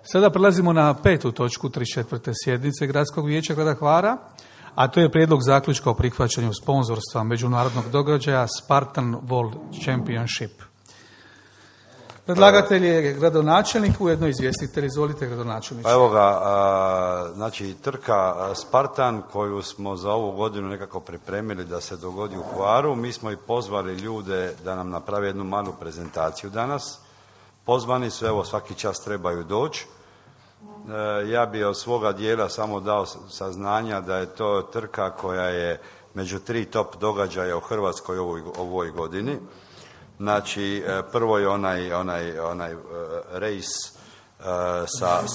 Sada prelazimo na 5. točku 34. sjednice Gradskog vijeća grada Hvara, a to je prijedlog zaključka o prihvaćanju sponzorstva međunarodnog događaja Spartan World Championship. Predlagatelj je gradonačelnik, ujedno izvjestitelj. Izvolite, gradonačelniče. Evo ga, znači trka Spartan koju smo za ovu godinu nekako pripremili da se dogodi u Hvaru. Mi smo i pozvali ljude da nam naprave jednu malu prezentaciju danas. Pozvani su, evo svaki čas trebaju doći. Ja bi od svoga dijela samo dao saznanja da je to trka koja je među 3 top događaja u Hrvatskoj ovoj godini. Znači, prvo je onaj rejs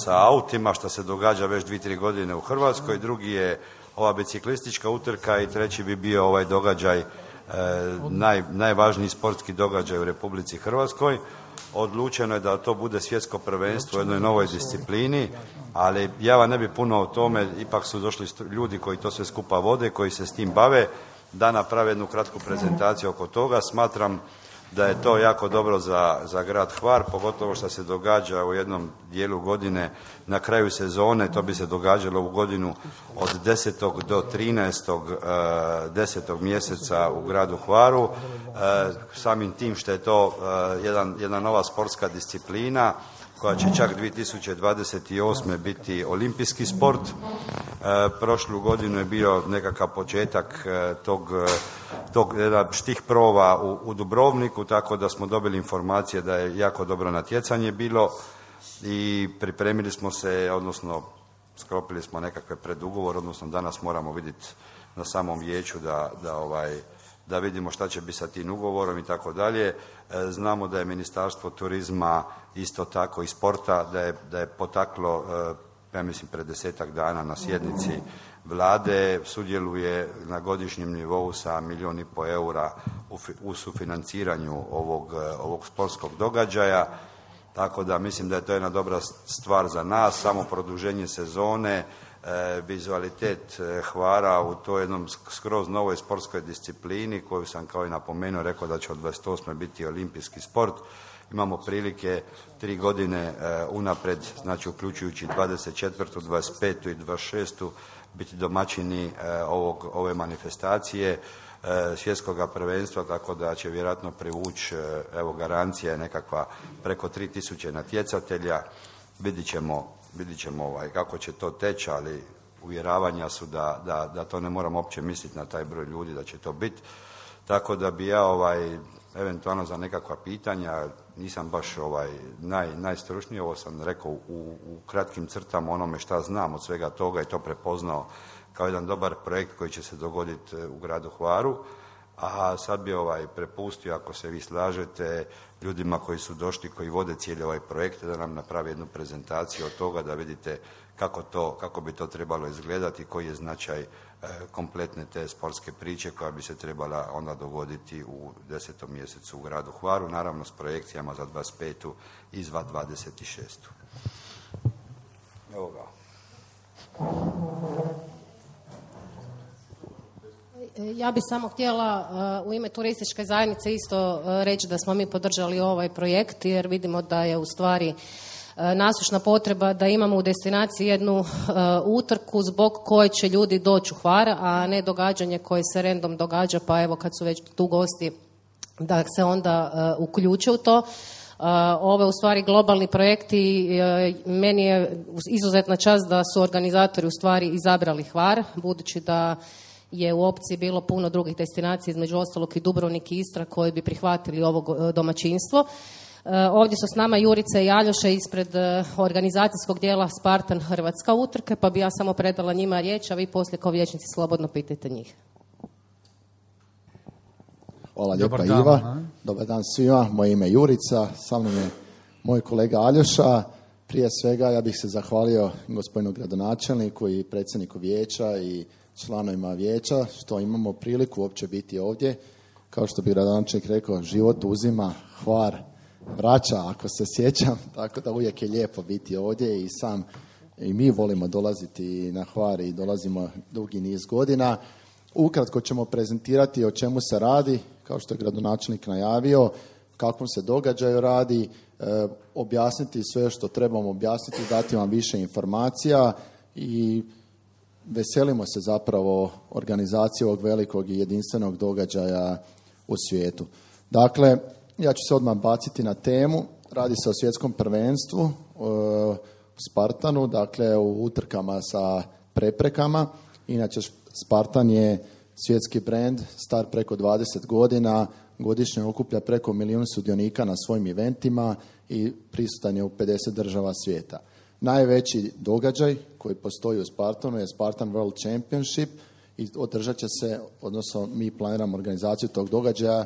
sa autima što se događa već 2-3 godine u Hrvatskoj, drugi je ova biciklistička utrka i treći bi bio ovaj događaj, najvažniji sportski događaj u Republici Hrvatskoj. Odlučeno je da to bude svjetsko prvenstvo u jednoj novoj disciplini, ali ja vam ne bi puno o tome, ipak su došli ljudi koji to sve skupa vode, koji se s tim bave, da naprave jednu kratku prezentaciju oko toga. Smatram da je to jako dobro za grad Hvar, pogotovo što se događa u jednom dijelu godine na kraju sezone. To bi se događalo u godinu od 10. do 13. 10. mjeseca u gradu Hvaru. Samim tim što je to jedna nova sportska disciplina koja će čak 2028. biti olimpijski sport. Prošlu godinu je bio nekakav početak tog štih prova u Dubrovniku, tako da smo dobili informacije da je jako dobro natjecanje bilo i pripremili smo se, odnosno sklopili smo nekakve predugovor, odnosno danas moramo vidjeti na samom vijeću da vidimo šta će biti sa tim ugovorom i tako dalje. Znamo da je Ministarstvo turizma isto tako i sporta, da je potaklo, ja mislim pred 10-ak dana na sjednici vlade, sudjeluje na godišnjem nivou sa 1,5 milijuna eura u sufinanciranju ovog sportskog događaja. Tako da mislim da je to jedna dobra stvar za nas, samo produženje sezone, vizualitet Hvara u toj jednom skroz novoj sportskoj disciplini koju sam kao i napomenuo, rekao da će od 28. biti olimpijski sport. Imamo prilike 3 godine unapred, znači uključujući 24., 25. i 26. biti domaćini ove manifestacije svjetskog prvenstva, tako da će vjerojatno privući, evo garancija je nekakva preko 3000 natjecatelja. Vidit ćemo kako će to teći, ali uvjeravanja su da to ne moramo uopće misliti na taj broj ljudi da će to biti. Tako da bi ja eventualno za nekakva pitanja, nisam baš najstručniji, ovo sam rekao u kratkim crtama onome šta znam od svega toga i to prepoznao kao jedan dobar projekt koji će se dogoditi u gradu Hvaru. A sad bi prepustio, ako se vi slažete, ljudima koji su došli, koji vode cijeli ovaj projekt, da nam napravi jednu prezentaciju od toga, da vidite kako bi to trebalo izgledati, koji je značaj kompletne te sportske priče koja bi se trebala onda dogoditi u 10. mjesecu u gradu Hvaru, naravno s projekcijama za 25. i za 26. Evo ga. Ja bih samo htjela u ime turističke zajednice isto reći da smo mi podržali ovaj projekt, jer vidimo da je u stvari nasušna potreba da imamo u destinaciji jednu utrku zbog koje će ljudi doći u Hvar, a ne događanje koje se random događa, pa evo kad su već tu gosti da se onda uključe u to. Ovo je u stvari globalni projekt i meni je izuzetna čast da su organizatori u stvari izabrali Hvar, budući da je u opciji bilo puno drugih destinacija, između ostalog i Dubrovnik i Istra, koji bi prihvatili ovo domaćinstvo. Ovdje su s nama Jurica i Aljoša ispred organizacijskog dijela Spartan Hrvatska utrke, pa bi ja samo predala njima riječ, a vi poslije kao vijećnici slobodno pitajte njih. Hvala lijepa Iva. Dobar dan svima. Moje ime je Jurica, sa mnom je moj kolega Aljoša. Prije svega ja bih se zahvalio gospodinu gradonačelniku i predsjedniku vijeća i članovima vijeća što imamo priliku uopće biti ovdje. Kao što bi gradonačelnik rekao, život uzima, Hvar vraća, ako se sjećam, tako da uvijek je lijepo biti ovdje i mi volimo dolaziti na Hvar i dolazimo dugi niz godina. Ukratko ćemo prezentirati o čemu se radi, kao što je gradonačelnik najavio, kakvom se događaju radi, objasniti sve što trebamo objasniti, dati vam više informacija i veselimo se zapravo organizaciji ovog velikog i jedinstvenog događaja u svijetu. Dakle, ja ću se odmah baciti na temu. Radi se o svjetskom prvenstvu u Spartanu, dakle u utrkama sa preprekama. Inače, Spartan je svjetski brend, star preko 20 godina, godišnje okuplja preko 1 milijun sudionika na svojim eventima i prisutan je u 50 država svijeta. Najveći događaj koji postoji u Spartanu je Spartan World Championship i održat će se, odnosno mi planiramo organizaciju tog događaja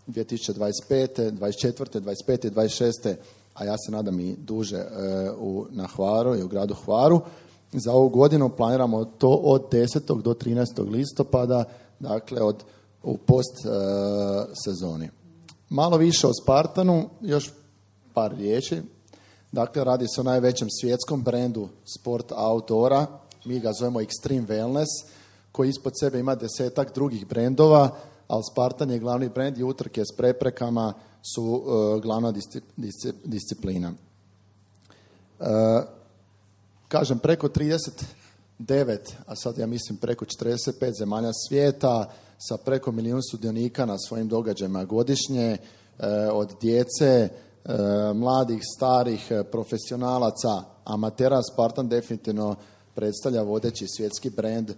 2025. 24. 25. i 26. a ja se nadam i duže na Hvaru i u gradu Hvaru. Za ovu godinu planiramo to od 10. do 13. listopada, dakle u post sezoni. Malo više o Spartanu, još par riječi. Dakle, radi se o najvećem svjetskom brendu sport outdoora, mi ga zovemo Extreme Wellness, koji ispod sebe ima 10-ak drugih brendova, ali Spartan je glavni brend i utrke s preprekama su glavna disciplina. Kažem, preko 39, a sad ja mislim preko 45 zemalja svijeta sa preko 1 milijun sudionika na svojim događajima godišnje, od djece, mladih, starih, profesionalaca, amatera. Spartan definitivno predstavlja vodeći svjetski brend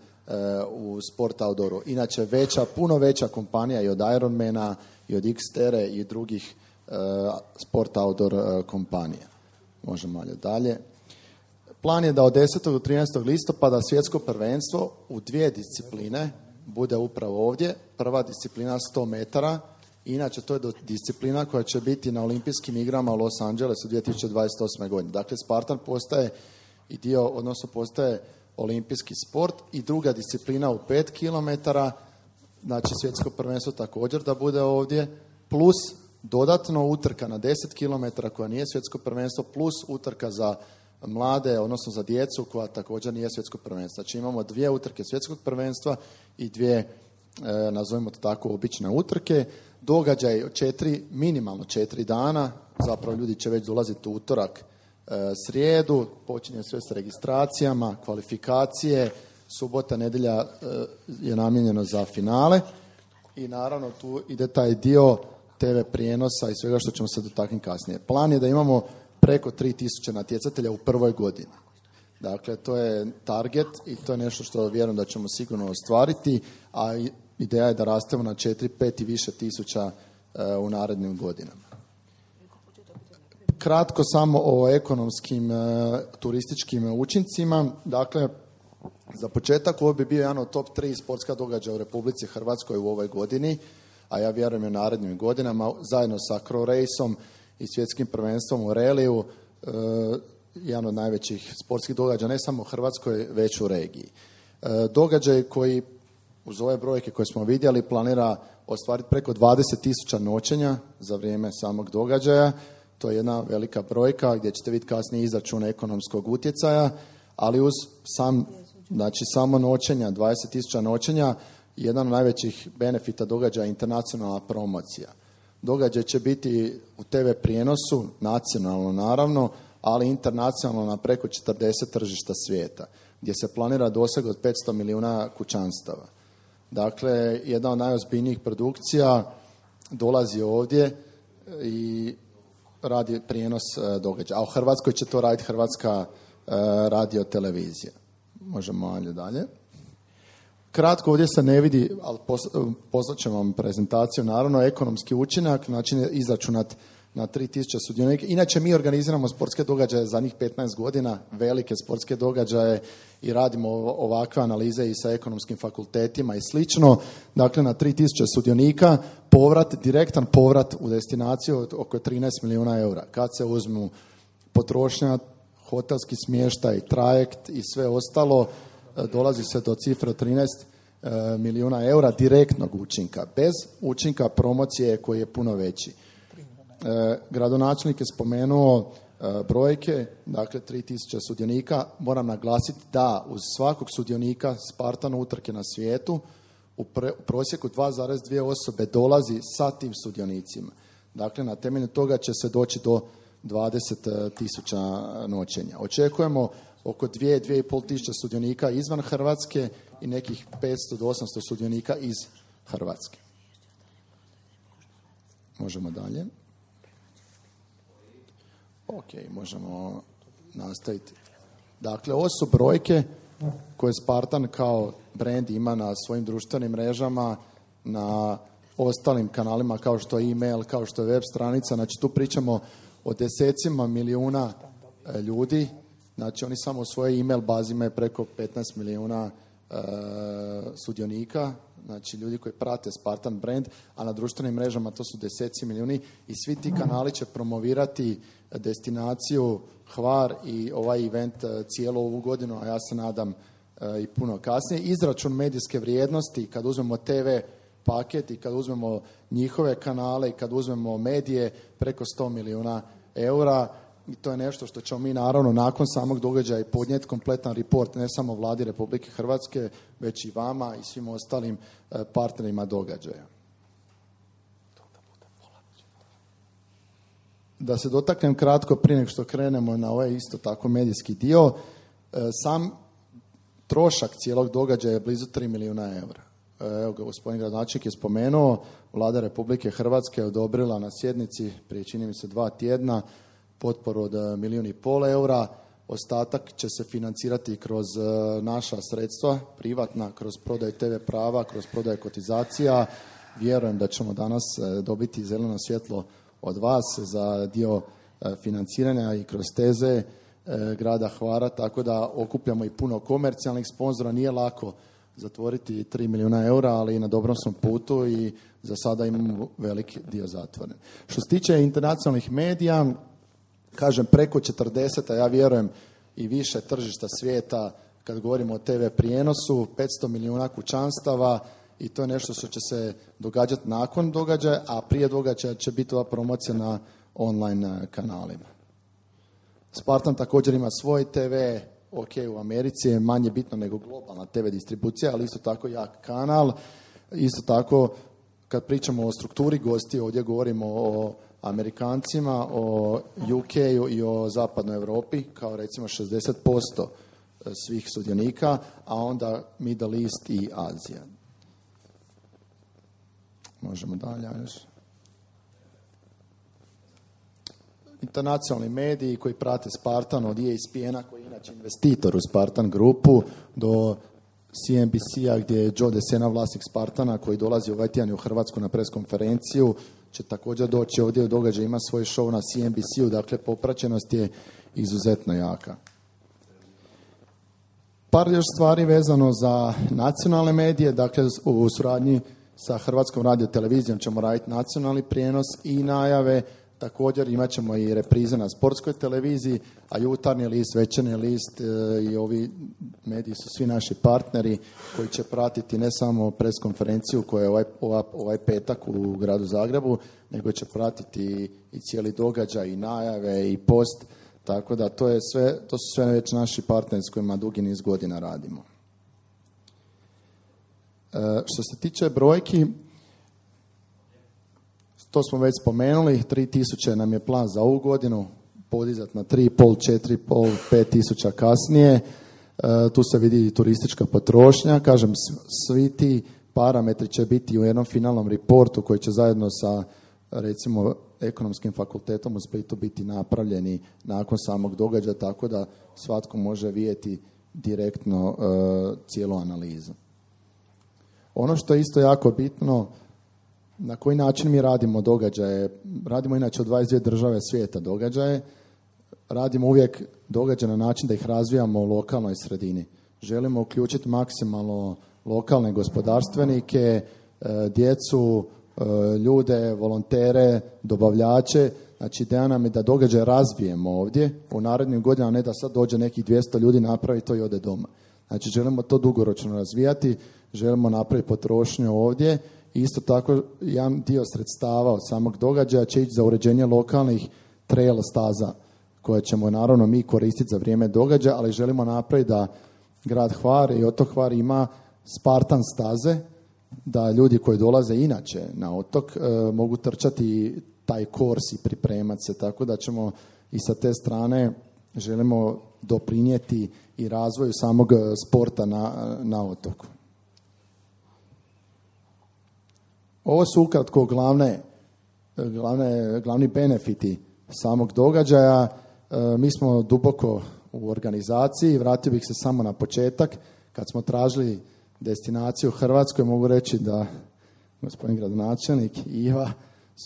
u sport outdooru. Inače, puno veća kompanija i od Ironmana i od Xterra i drugih sport outdoor kompanija. Možemo malo dalje. Plan je da od 10. do 13. listopada svjetsko prvenstvo u 2 discipline bude upravo ovdje. Prva disciplina 100 metara, inače to je disciplina koja će biti na olimpijskim igrama u Los Angelesu 2028. godine. Dakle, Spartan postaje i dio, odnosno postaje olimpijski sport i druga disciplina u 5 km, znači svjetsko prvenstvo također da bude ovdje, plus dodatno utrka na 10 km koja nije svjetsko prvenstvo, plus utrka za mlade, odnosno za djecu koja također nije svjetsko prvenstvo. Znači imamo 2 utrke svjetskog prvenstva i 2, nazovimo to tako, obične utrke. Događaj minimalno 4 dana, zapravo ljudi će već dolaziti u utorak, srijedu, počinje sve s registracijama, kvalifikacije, subota, nedjelja je namijenjeno za finale i naravno tu ide taj dio TV prijenosa i svega što ćemo se dotaknuti kasnije. Plan je da imamo preko 3000 natjecatelja u prvoj godini. Dakle, to je target i to je nešto što vjerujem da ćemo sigurno ostvariti, a ideja je da rastemo na 4, 5 i više tisuća u narednim godinama. Kratko samo o ekonomskim turističkim učincima. Dakle, za početak ovo bi bio jedan od top 3 sportska događaja u Republici Hrvatskoj u ovoj godini, a ja vjerujem i u narednim godinama, zajedno sa Crow Raceom i svjetskim prvenstvom u reliju, jedan od najvećih sportskih događaja ne samo u Hrvatskoj, već u regiji. Događaj koji uz ove brojke koje smo vidjeli planira ostvariti preko 20.000 noćenja za vrijeme samog događaja. To je jedna velika brojka gdje ćete vidjeti kasnije izračun ekonomskog utjecaja, ali uz samo noćenja, 20.000 noćenja, jedan od najvećih benefita događaja je internacionalna promocija. Događaj će biti u TV prijenosu, nacionalno naravno, ali internacionalno na preko 40 tržišta svijeta, gdje se planira doseg od 500 milijuna kućanstava. Dakle, jedna od najozbiljnijih produkcija dolazi ovdje i radi prijenos događaja. A u Hrvatskoj će to raditi Hrvatska radiotelevizija. Možemo malo dalje. Kratko, ovdje se ne vidi, ali poslat ćemo vam prezentaciju, naravno, ekonomski učinak, način je izračunat na 3000 sudionika. Inače, mi organiziramo sportske događaje zadnjih 15 godina, velike sportske događaje i radimo ovakve analize i sa ekonomskim fakultetima i slično. Dakle, na 3000 sudionika, direktan povrat u destinaciju od oko 13 milijuna eura. Kad se uzmu potrošnja, hotelski smještaj, trajekt i sve ostalo, dolazi se do cifre od 13 milijuna eura direktnog učinka, bez učinka promocije koji je puno veći. Gradonačelnik je spomenuo brojke, dakle 3000 sudionika. Moram naglasiti da uz svakog sudionika Spartan utrke na svijetu u prosjeku 2,2 osobe dolazi sa tim sudionicima. Dakle, na temelju toga će se doći do 20.000 noćenja. Očekujemo oko 2-2,5 tisuće sudionika izvan Hrvatske i nekih 500 do 800 sudionika iz Hrvatske. Možemo dalje. Ok, možemo nastaviti. Dakle, ovo su brojke koje Spartan kao brand ima na svojim društvenim mrežama, na ostalim kanalima kao što je e-mail, kao što je web stranica. Znači, tu pričamo o desecima milijuna ljudi. Znači, oni samo u svojoj e-mail bazi imaju preko 15 milijuna sudionika, znači ljudi koji prate Spartan brand, a na društvenim mrežama to su deseci milijuni i svi ti kanali će promovirati destinaciju Hvar i ovaj event cijelu ovu godinu, a ja se nadam i puno kasnije. Izračun medijske vrijednosti, kad uzmemo TV paket i kad uzmemo njihove kanale i kad uzmemo medije, preko 100 milijuna eura. I to je nešto što ćemo mi naravno nakon samog događaja i podnijeti kompletan report ne samo Vladi Republike Hrvatske, već i vama i svim ostalim partnerima događaja. Da se dotaknem kratko prije nego što krenemo na ovaj isto tako medijski dio, sam trošak cijelog događaja je blizu 3 milijuna eura. Evo ga, gospodin gradonačelnik je spomenuo, Vlada Republike Hrvatske je odobrila na sjednici prije čini mi se 2 tjedna potporu od 1,5 milijuna eura. Ostatak će se financirati kroz naša sredstva, privatna, kroz prodaju TV prava, kroz prodaju kotizacija. Vjerujem da ćemo danas dobiti zeleno svjetlo od vas za dio financiranja i kroz teze grada Hvara, tako da okupljamo i puno komercijalnih sponzora. Nije lako zatvoriti 3 milijuna eura, ali na dobrom smo putu i za sada imamo veliki dio zatvoren. Što se tiče internacionalnih medija, kažem preko 40, a ja vjerujem i više tržišta svijeta kad govorimo o TV prijenosu, 500 milijuna kućanstava i to je nešto što će se događati nakon događaja, a prije događaja će biti ova promocija na online kanalima. Spartan također ima svoj TV, ok, u Americi je manje bitno nego globalna TV distribucija, ali isto tako jak kanal. Isto tako, kad pričamo o strukturi gosti, ovdje govorimo o Amerikancima, o UK-u i o zapadnoj Europi, kao recimo 60% svih sudionika, a onda Middle East i Azija. Možemo dalje. Internacionalni mediji koji prate Spartan, od ESPN-a koji je inače investitor u Spartan grupu, do CNBC-a gdje je Joe DeSena vlasnik Spartana koji dolazi ovaj tjedan u Hrvatsku na preskonferenciju, će također doći ovdje u događaj, ima svoj show na CNBC-u, dakle popraćenost je izuzetno jaka. Par još stvari vezano za nacionalne medije, dakle u suradnji sa Hrvatskom radiotelevizijom ćemo raditi nacionalni prijenos i najave. Također imat ćemo i reprize na sportskoj televiziji, a Jutarnji list, Večernji list i ovi mediji su svi naši partneri koji će pratiti ne samo preskonferenciju koja je ovaj petak u gradu Zagrebu, nego će pratiti i cijeli događaj i najave i post, tako da to su sve već naši partneri s kojima dugi niz godina radimo. Što se tiče brojki, to smo već spomenuli, 3000 nam je plan za ovu godinu, podizati na 3,5, 4,5, 5,000 kasnije. Tu se vidi i turistička potrošnja. Kažem, svi ti parametri će biti u jednom finalnom reportu koji će zajedno sa, recimo, Ekonomskim fakultetom u Splitu biti napravljeni nakon samog događaja, tako da svatko može vidjeti direktno cijelu analizu. Ono što je isto jako bitno, na koji način mi radimo događaje. Radimo inače od 22 države svijeta događaje. Radimo uvijek događaje na način da ih razvijamo u lokalnoj sredini. Želimo uključiti maksimalno lokalne gospodarstvenike, djecu, ljude, volontere, dobavljače. Znači, ideja nam je da događaje razvijemo ovdje u narednim godinama, ne da sad dođe nekih 200 ljudi, napravi to i ode doma. Znači, želimo to dugoročno razvijati, želimo napraviti potrošnju ovdje. Isto tako, jedan dio sredstava od samog događaja će ići za uređenje lokalnih trail staza, koje ćemo naravno mi koristiti za vrijeme događaja, ali želimo napraviti da grad Hvar i otok Hvar ima Spartan staze, da ljudi koji dolaze inače na otok mogu trčati taj kors i pripremati se, tako da ćemo i sa te strane želimo doprinijeti i razvoju samog sporta na otoku. Ovo su ukratko glavni benefiti samog događaja. Mi smo duboko u organizaciji. Vratio bih se samo na početak. Kad smo tražili destinaciju u Hrvatskoj, mogu reći da gospodin gradonačelnik i Iva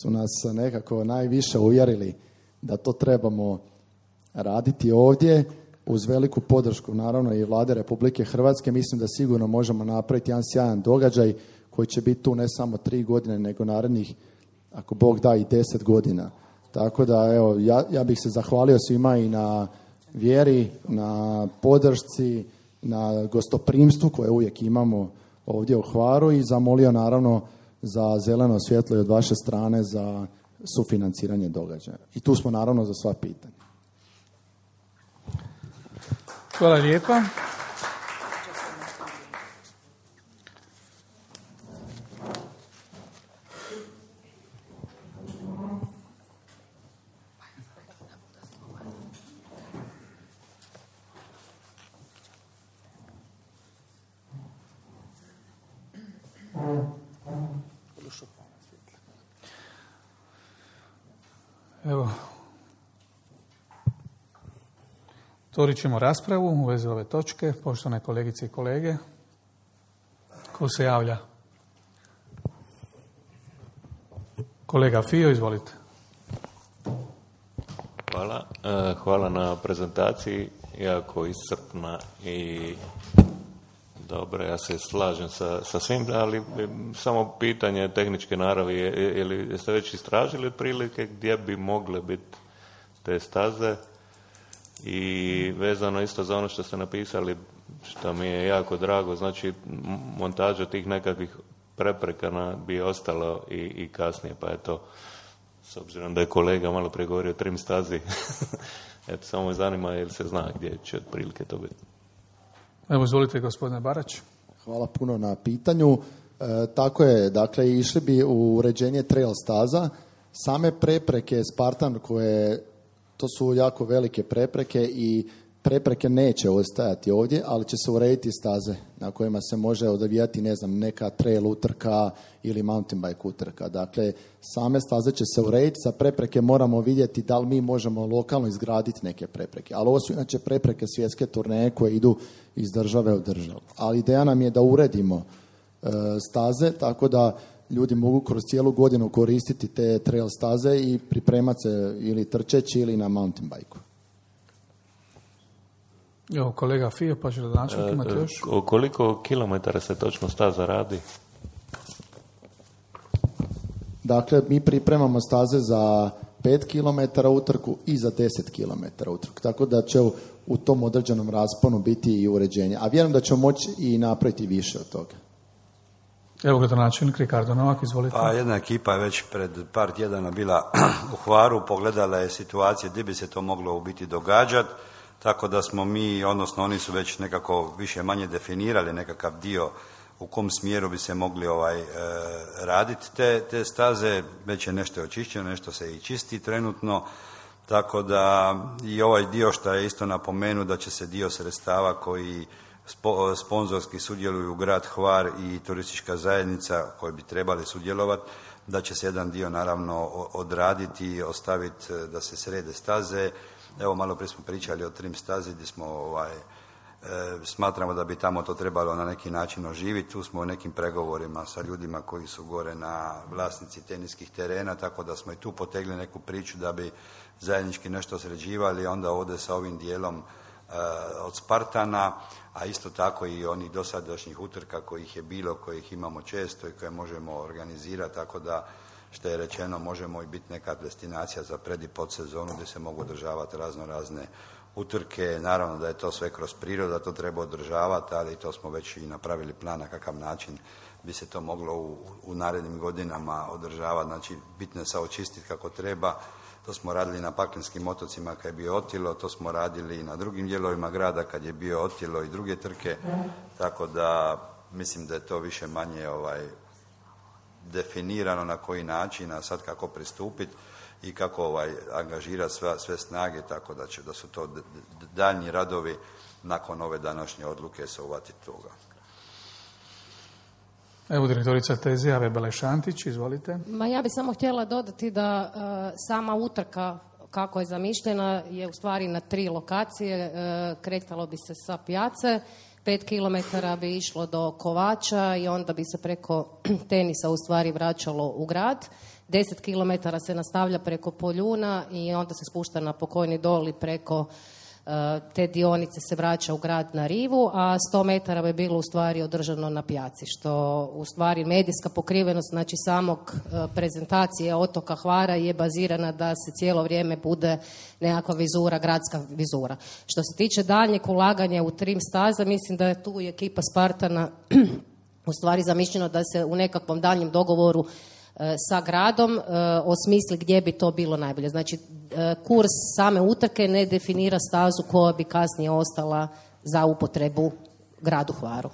su nas nekako najviše uvjerili da to trebamo raditi ovdje uz veliku podršku naravno i Vlade Republike Hrvatske. Mislim da sigurno možemo napraviti jedan sjajan događaj koji će biti tu ne samo 3 godine, nego narednih, ako Bog da, i 10 godina. Tako da, evo, ja bih se zahvalio svima i na vjeri, na podršci, na gostoprimstvu koje uvijek imamo ovdje u Hvaru i zamolio naravno za zeleno svjetlo i od vaše strane za sufinanciranje događaja. I tu smo naravno za sva pitanja. Hvala lijepa. Evo, otvorit ćemo raspravu u vezi ove točke. Poštovane kolegice i kolege, ko se javlja? Kolega Fio, izvolite. Hvala. Hvala na prezentaciji, jako iscrpna i dobro, ja se slažem sa svim, ali samo pitanje tehničke naravi, jeste već istražili otprilike gdje bi mogle biti te staze i vezano isto za ono što ste napisali, što mi je jako drago, znači montaža tih nekakvih prepreka bi ostalo i kasnije, pa eto, s obzirom da je kolega malo prije govorio o trim stazi, eto, samo me zanima jel se zna gdje će otprilike to biti. Evo, izvolite, gospodine Barać. Hvala puno na pitanju. Tako je, dakle, išli bi u uređenje trail staza. Same prepreke Spartan koje, to su jako velike prepreke i prepreke neće ostajati ovdje, ali će se urediti staze na kojima se može odvijati, ne znam, neka trail utrka ili mountain bike utrka. Dakle, same staze će se urediti, za prepreke moramo vidjeti da li mi možemo lokalno izgraditi neke prepreke. Ali ovo su inače prepreke svjetske turneje koje idu iz države u državu. Ali ideja nam je da uredimo staze, tako da ljudi mogu kroz cijelu godinu koristiti te trail staze i pripremati se ili trčeći ili na mountain bike-u. Evo, kolega Fio, pa ću da načelnik imate još. Koliko kilometara se točno staza radi? Dakle, mi pripremamo staze za 5 km utrku i za 10 km utrku. Tako da će u tom određenom rasponu biti i uređenje. A vjerujem da ćemo moći i napraviti više od toga. Evo, gradonačelnik Ricardo Novak, izvolite. Pa jedna ekipa je već pred par tjedana bila u Hvaru, pogledala je situacije gdje bi se to moglo u biti događati. Tako da smo mi, odnosno oni su već nekako više manje definirali nekakav dio u kom smjeru bi se mogli raditi te staze. Već je nešto očišćeno, nešto se i čisti trenutno. Tako da i ovaj dio što je isto napomenu da će se dio sredstava koji sponzorski sudjeluju grad Hvar i turistička zajednica koji bi trebali sudjelovati, da će se jedan dio naravno odraditi i ostaviti da se srede staze. Evo, malo prije smo pričali o trim stazi gdje smo smatramo da bi tamo to trebalo na neki način oživiti. Tu smo u nekim pregovorima sa ljudima koji su gore na vlasnici teniskih terena, tako da smo i tu potegli neku priču da bi zajednički nešto sređivali, onda ovdje sa ovim dijelom od Spartana, a isto tako i onih dosadašnjih utrka kojih je bilo, kojih imamo često i koje možemo organizirati, tako da što je rečeno možemo i biti neka destinacija za pred i podsezonu gdje se mogu održavati razne utrke. Naravno da je to sve kroz prirodu, to treba održavati, ali to smo već i napravili plan na kakav način bi se to moglo u narednim godinama održavati. Znači, bitno je se očistiti kako treba. To smo radili na Paklenskim otocima kad je bio Otilo, to smo radili i na drugim dijelovima grada kad je bio Otilo i druge trke, tako da mislim da je to više manje definirano na koji način, a sad kako pristupiti. i kako angažirati sve snage, tako da su to daljnji radovi nakon ove današnje odluke se uvatiti toga. Evo direktorica Tezija Vebele-Šantić, izvolite. Ja bih samo htjela dodati da sama utrka kako je zamišljena je u stvari na 3 lokacije. Kretalo bi se sa Pijace, 5 km bi išlo do Kovača i onda bi se preko tenisa u stvari vraćalo u grad. 10 km se nastavlja preko Poljuna i onda se spušta na Pokojni dol i preko te dionice se vraća u grad na rivu, a 100 metara bi bilo u stvari održano na Pijaci, što u stvari medijska pokrivenost, znači samog prezentacije otoka Hvara je bazirana da se cijelo vrijeme bude nekakva vizura, gradska vizura. Što se tiče daljnjeg ulaganja u trim staza, mislim da je tu i ekipa Spartana u stvari zamišljeno da se u nekakvom daljnjem dogovoru sa gradom osmisli gdje bi to bilo najbolje. Znači, kurs same utrke ne definira stazu koja bi kasnije ostala za upotrebu gradu Hvaru.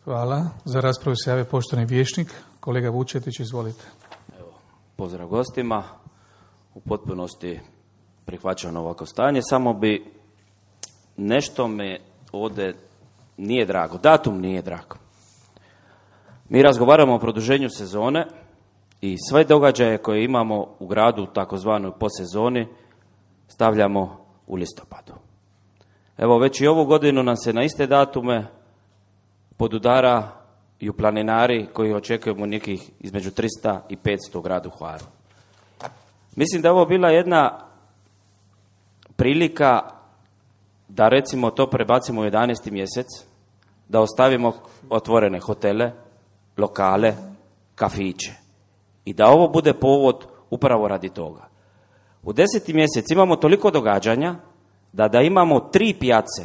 Hvala. Za raspravu se javio poštovani vijećnik, kolega Vučetić, izvolite. Evo, pozdrav gostima. U potpunosti prihvaćam ovako stanje. Samo bi nešto me ovdje nije drago. Datum nije drago. Mi razgovaramo o produženju sezone i sve događaje koje imamo u gradu, takozvanoj posezoni, stavljamo u listopadu. Evo, već i ovu godinu nam se na iste datume podudaraju planinari koji očekujemo nekih između 300 i 500 u gradu Hvaru. Mislim da je ovo bila jedna prilika da recimo to prebacimo u 11. mjesec, da ostavimo otvorene hotele, lokale, kafiće i da ovo bude povod upravo radi toga. U 10. mjesec imamo toliko događanja da imamo 3 pijace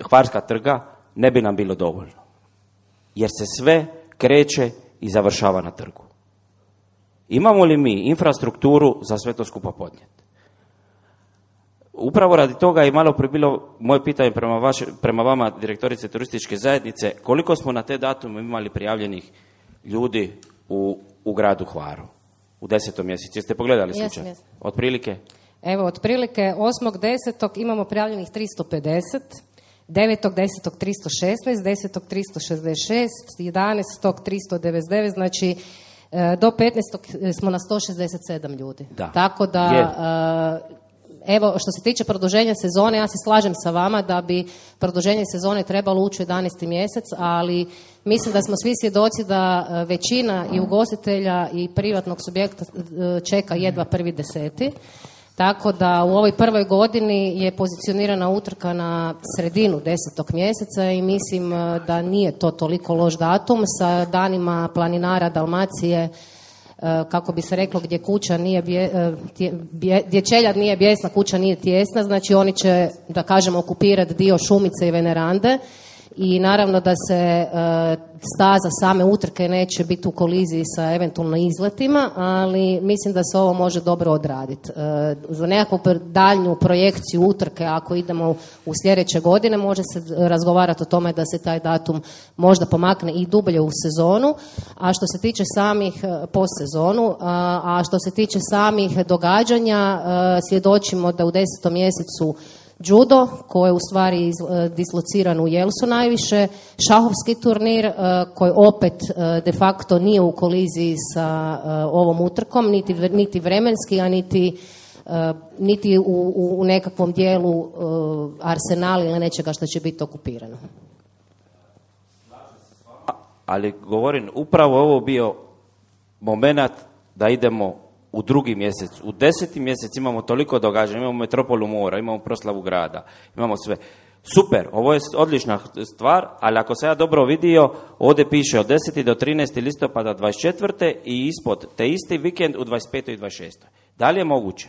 Hvarska trga ne bi nam bilo dovoljno. Jer se sve kreće i završava na trgu. Imamo li mi infrastrukturu za sve to skupa podnijeti? Upravo radi toga i malo prije bilo moje pitanje prema vama, direktorice turističke zajednice, koliko smo na te datume imali prijavljenih ljudi u gradu Hvaru u 10. mjesecu? Jeste pogledali slučaj? Yes. Otprilike? Evo, otprilike 8.10. imamo prijavljenih 350, 9.10. 316, 10. 366, 11. 399, znači do 15. smo na 167 ljudi. Da. Tako da... Evo, što se tiče produženja sezone, ja se slažem sa vama da bi produženje sezone trebalo ući u 11. mjesec, ali mislim da smo svi svjedoci da većina i ugostitelja i privatnog subjekta čeka jedva 1.10. Tako da u ovoj prvoj godini je pozicionirana utrka na sredinu 10. mjeseca i mislim da nije to toliko loš datum sa danima planinara Dalmacije, kako bi se reklo, gdje kuća nije gdje čeljad nije bijesna, kuća nije tijesna, znači oni će, da kažemo, okupirati dio Šumice i Venerande i naravno da se staza same utrke neće biti u koliziji sa eventualno izletima, ali mislim da se ovo može dobro odraditi. Za nekakvu daljnju projekciju utrke, ako idemo u sljedeće godine, može se razgovarati o tome da se taj datum možda pomakne i dublje u sezonu, a što se tiče samih postsezonu, a što se tiče samih događanja, svjedočimo da u 10. mjesecu judo, koji je u stvari dislociran u Jelsu najviše, šahovski turnir koji opet de facto nije u koliziji sa ovom utrkom, niti vremenski, a niti u nekakvom dijelu arsenala ili nečega što će biti okupirano. Ali govorim, upravo ovo bio moment da idemo u 2. mjesec. U 10. mjesec imamo toliko događanja, imamo Metropolu mora, imamo proslavu grada, imamo sve. Super, ovo je odlična stvar, ali ako se ja dobro vidio, ovdje piše od 10. do 13. listopada 24. i ispod te isti vikend u 25. i 26. Da li je moguće?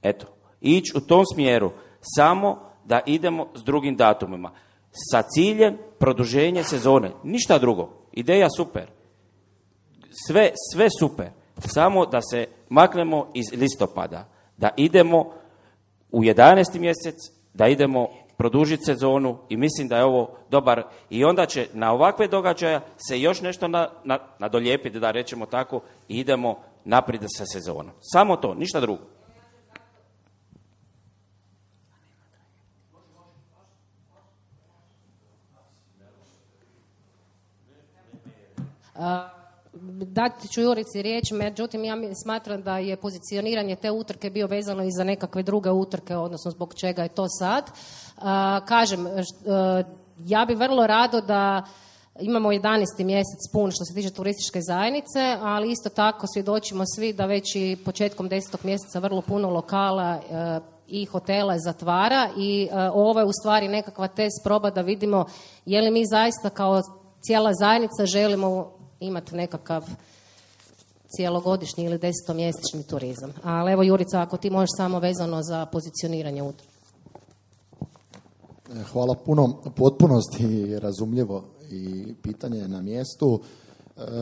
Eto, ići u tom smjeru, samo da idemo s drugim datumima. Sa ciljem produženje sezone, ništa drugo. Ideja super. Sve super. Samo da se maknemo iz listopada, da idemo u 11. mjesec, da idemo produžiti sezonu i mislim da je ovo dobar i onda će na ovakve događaja se još nešto nadolijepiti, da rečemo tako, i idemo naprijed sa sezonom. Samo to, ništa drugo. Dati ću Jurici riječ, međutim ja smatram da je pozicioniranje te utrke bio vezano i za nekakve druge utrke, odnosno zbog čega je to sad. Kažem, ja bi vrlo rado da imamo 11. mjesec pun što se tiče turističke zajednice, ali isto tako svjedočimo svi da već i početkom 10. mjeseca vrlo puno lokala i hotela zatvara i ovo je u stvari nekakva test proba da vidimo je li mi zaista kao cijela zajednica želimo imati nekakav cijelogodišnji ili 10-mjesečni turizam. Ali evo Jurica, ako ti možeš samo vezano za pozicioniranje utrke. Hvala puno. Potpunosti razumljivo i pitanje je na mjestu.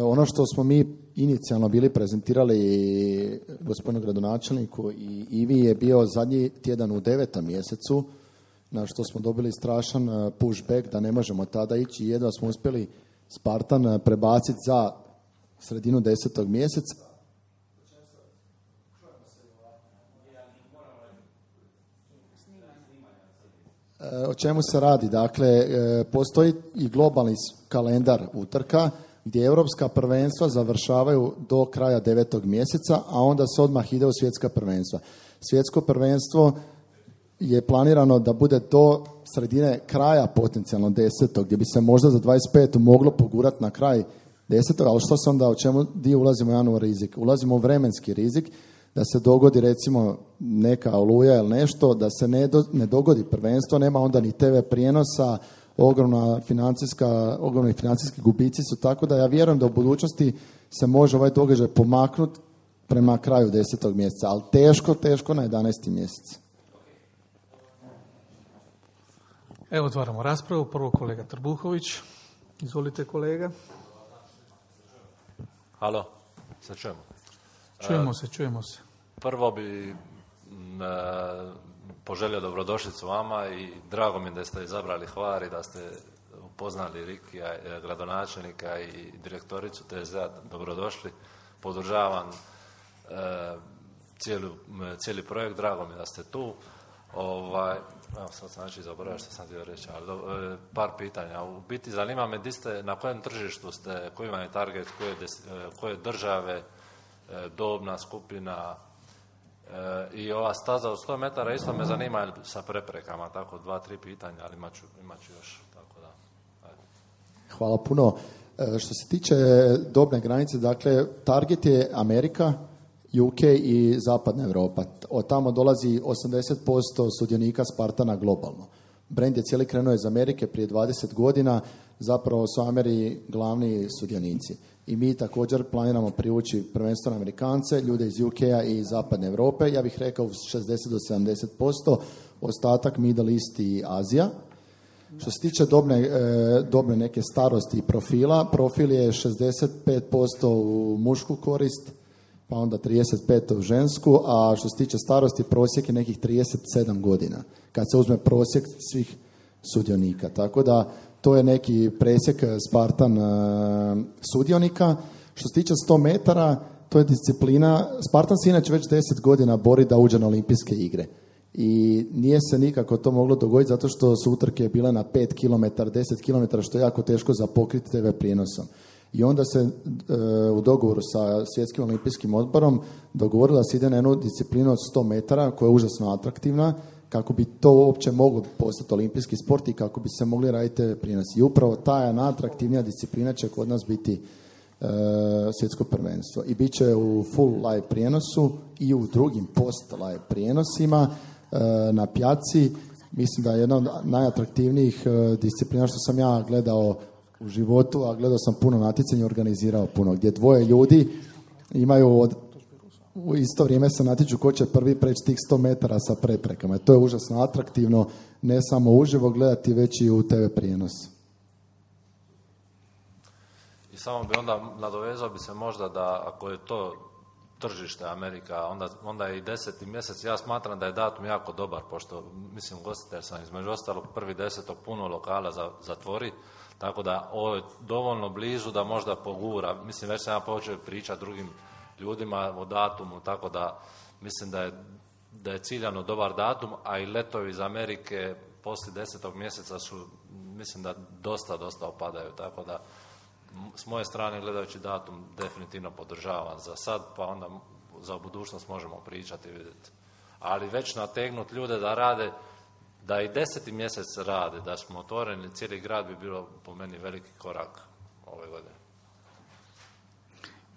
Ono što smo mi inicijalno bili prezentirali gospodinu gradonačelniku i Ivi je bio zadnji tjedan u 9. mjesecu, na što smo dobili strašan pushback da ne možemo tada ići i jedva smo uspjeli Spartan prebaciti za sredinu 10. mjeseca. O čemu se radi? Dakle, postoji i globalni kalendar utrka gdje europska prvenstva završavaju do kraja 9. mjeseca, a onda se odmah ide u svjetska prvenstva. Svjetsko prvenstvo je planirano da bude do sredine kraja potencijalno 10. gdje bi se možda za 25. moglo pogurati na kraj 10. ali što se onda, o čemu dio ulazimo u jedan rizik? Ulazimo u vremenski rizik da se dogodi recimo neka oluja ili nešto, da se ne dogodi prvenstvo, nema onda ni TV prijenosa, ogromni financijski gubici su, tako da ja vjerujem da u budućnosti se može ovaj događaj pomaknuti prema kraju 10. mjeseca, ali teško na 11. mjesec. Evo otvaramo raspravu. Prvo kolega Trbuhović. Izvolite kolega. Halo, se čujemo? Čujemo se. Prvo bi poželio dobrodošlicu vama i drago mi da ste izabrali Hvar i da ste upoznali Rikija, gradonačelnika i direktoricu TSD-a. Dobrodošli. Podržavam cijeli projekt, drago mi da ste tu. Evo sad sam zaboravio što sam htio reći, ali par pitanja. U biti zanima me na kojem tržištu ste, koji vam je target, koje države, dobna skupina i ova staza od 100 metara isto me zanima sa preprekama, tako 2-3 pitanja, ali imat ću još. Tako da, ajde. Hvala puno. Što se tiče dobne granice, dakle, target je Amerika, UK i zapadna Europa. Od tamo dolazi 80% sudionika Spartana globalno. Brand je cijeli krenuo iz Amerike prije 20 godina, zapravo su Ameri glavni sudionici. I mi također planiramo privući prvenstveno Amerikance, ljude iz UK-a i zapadne Europe, ja bih rekao 60 do 70%, ostatak Middle East i Azija. Što se tiče dobne neke starosti i profila, profil je 65% u mušku korist, pa onda 35 u žensku, a što se tiče starosti, prosjek je nekih 37 godina, kad se uzme prosjek svih sudionika. Tako da to je neki presjek Spartan sudionika. Što se tiče 100 metara, to je disciplina, Spartan se inače već 10 godina bori da uđe na olimpijske igre. I nije se nikako to moglo dogoditi zato što su utrke bile na 5 km, 10 km, što je jako teško za pokriti TV prijenosom. I onda se u dogovoru sa Svjetskim olimpijskim odborom dogovorila se ide na jednu disciplinu od 100 metara koja je užasno atraktivna kako bi to uopće moglo postati olimpijski sport i kako bi se mogli raditi TV prijenosi. I upravo ta najatraktivnija disciplina će kod nas biti svjetsko prvenstvo. I bit će u full live prijenosu i u drugim post live prijenosima na pjaci. Mislim da je jedna od najatraktivnijih disciplina što sam ja gledao u životu, a gledao sam puno natjecanja i organizirao puno, gdje dvoje ljudi imaju u isto vrijeme se natječu ko će prvi preći tih 100 metara sa preprekama. To je užasno atraktivno, ne samo uživo gledati, već i u TV prijenos. I samo bi onda nadovezao bi se možda da ako je to tržište Amerika, onda je i 10. mjesec. Ja smatram da je datum jako dobar, pošto mislim gostitelj sam između ostalog 1.10. puno lokala zatvori, tako da ovo je dovoljno blizu da možda pogura. Mislim, već sam ja počeo pričati drugim ljudima o datumu, tako da mislim da je ciljano dobar datum, a i letovi iz Amerike poslije 10. mjeseca su, mislim da dosta opadaju, tako da s moje strane gledajući datum definitivno podržavam za sad, pa onda za budućnost možemo pričati i vidjeti. Ali već nategnuti ljude da rade, da i 10. mjesec rade, da smo otvoreni cijeli grad bi bilo po meni veliki korak ove godine.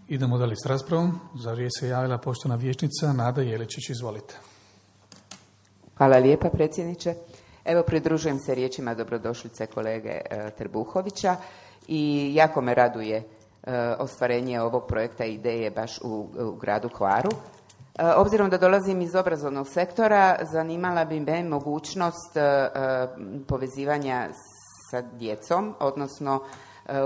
Idemo dalje s raspravom. Za riječ se javila poštovana vijećnica Nada Jeličić. Izvolite. Hvala lijepa, predsjedniče. Evo, pridružujem se riječima dobrodošlice kolege Trbuhovića i jako me raduje ostvarenje ovog projekta i ideje baš u gradu Hvaru. Obzirom da dolazim iz obrazovnog sektora, zanimala bi me mogućnost povezivanja sa djecom, odnosno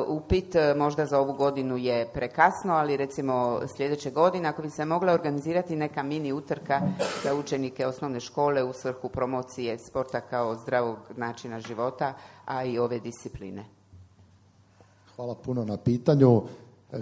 upit možda za ovu godinu je prekasno, ali recimo sljedeće godine ako bi se mogla organizirati neka mini utrka za učenike osnovne škole u svrhu promocije sporta kao zdravog načina života, a i ove discipline. Hvala puno na pitanju.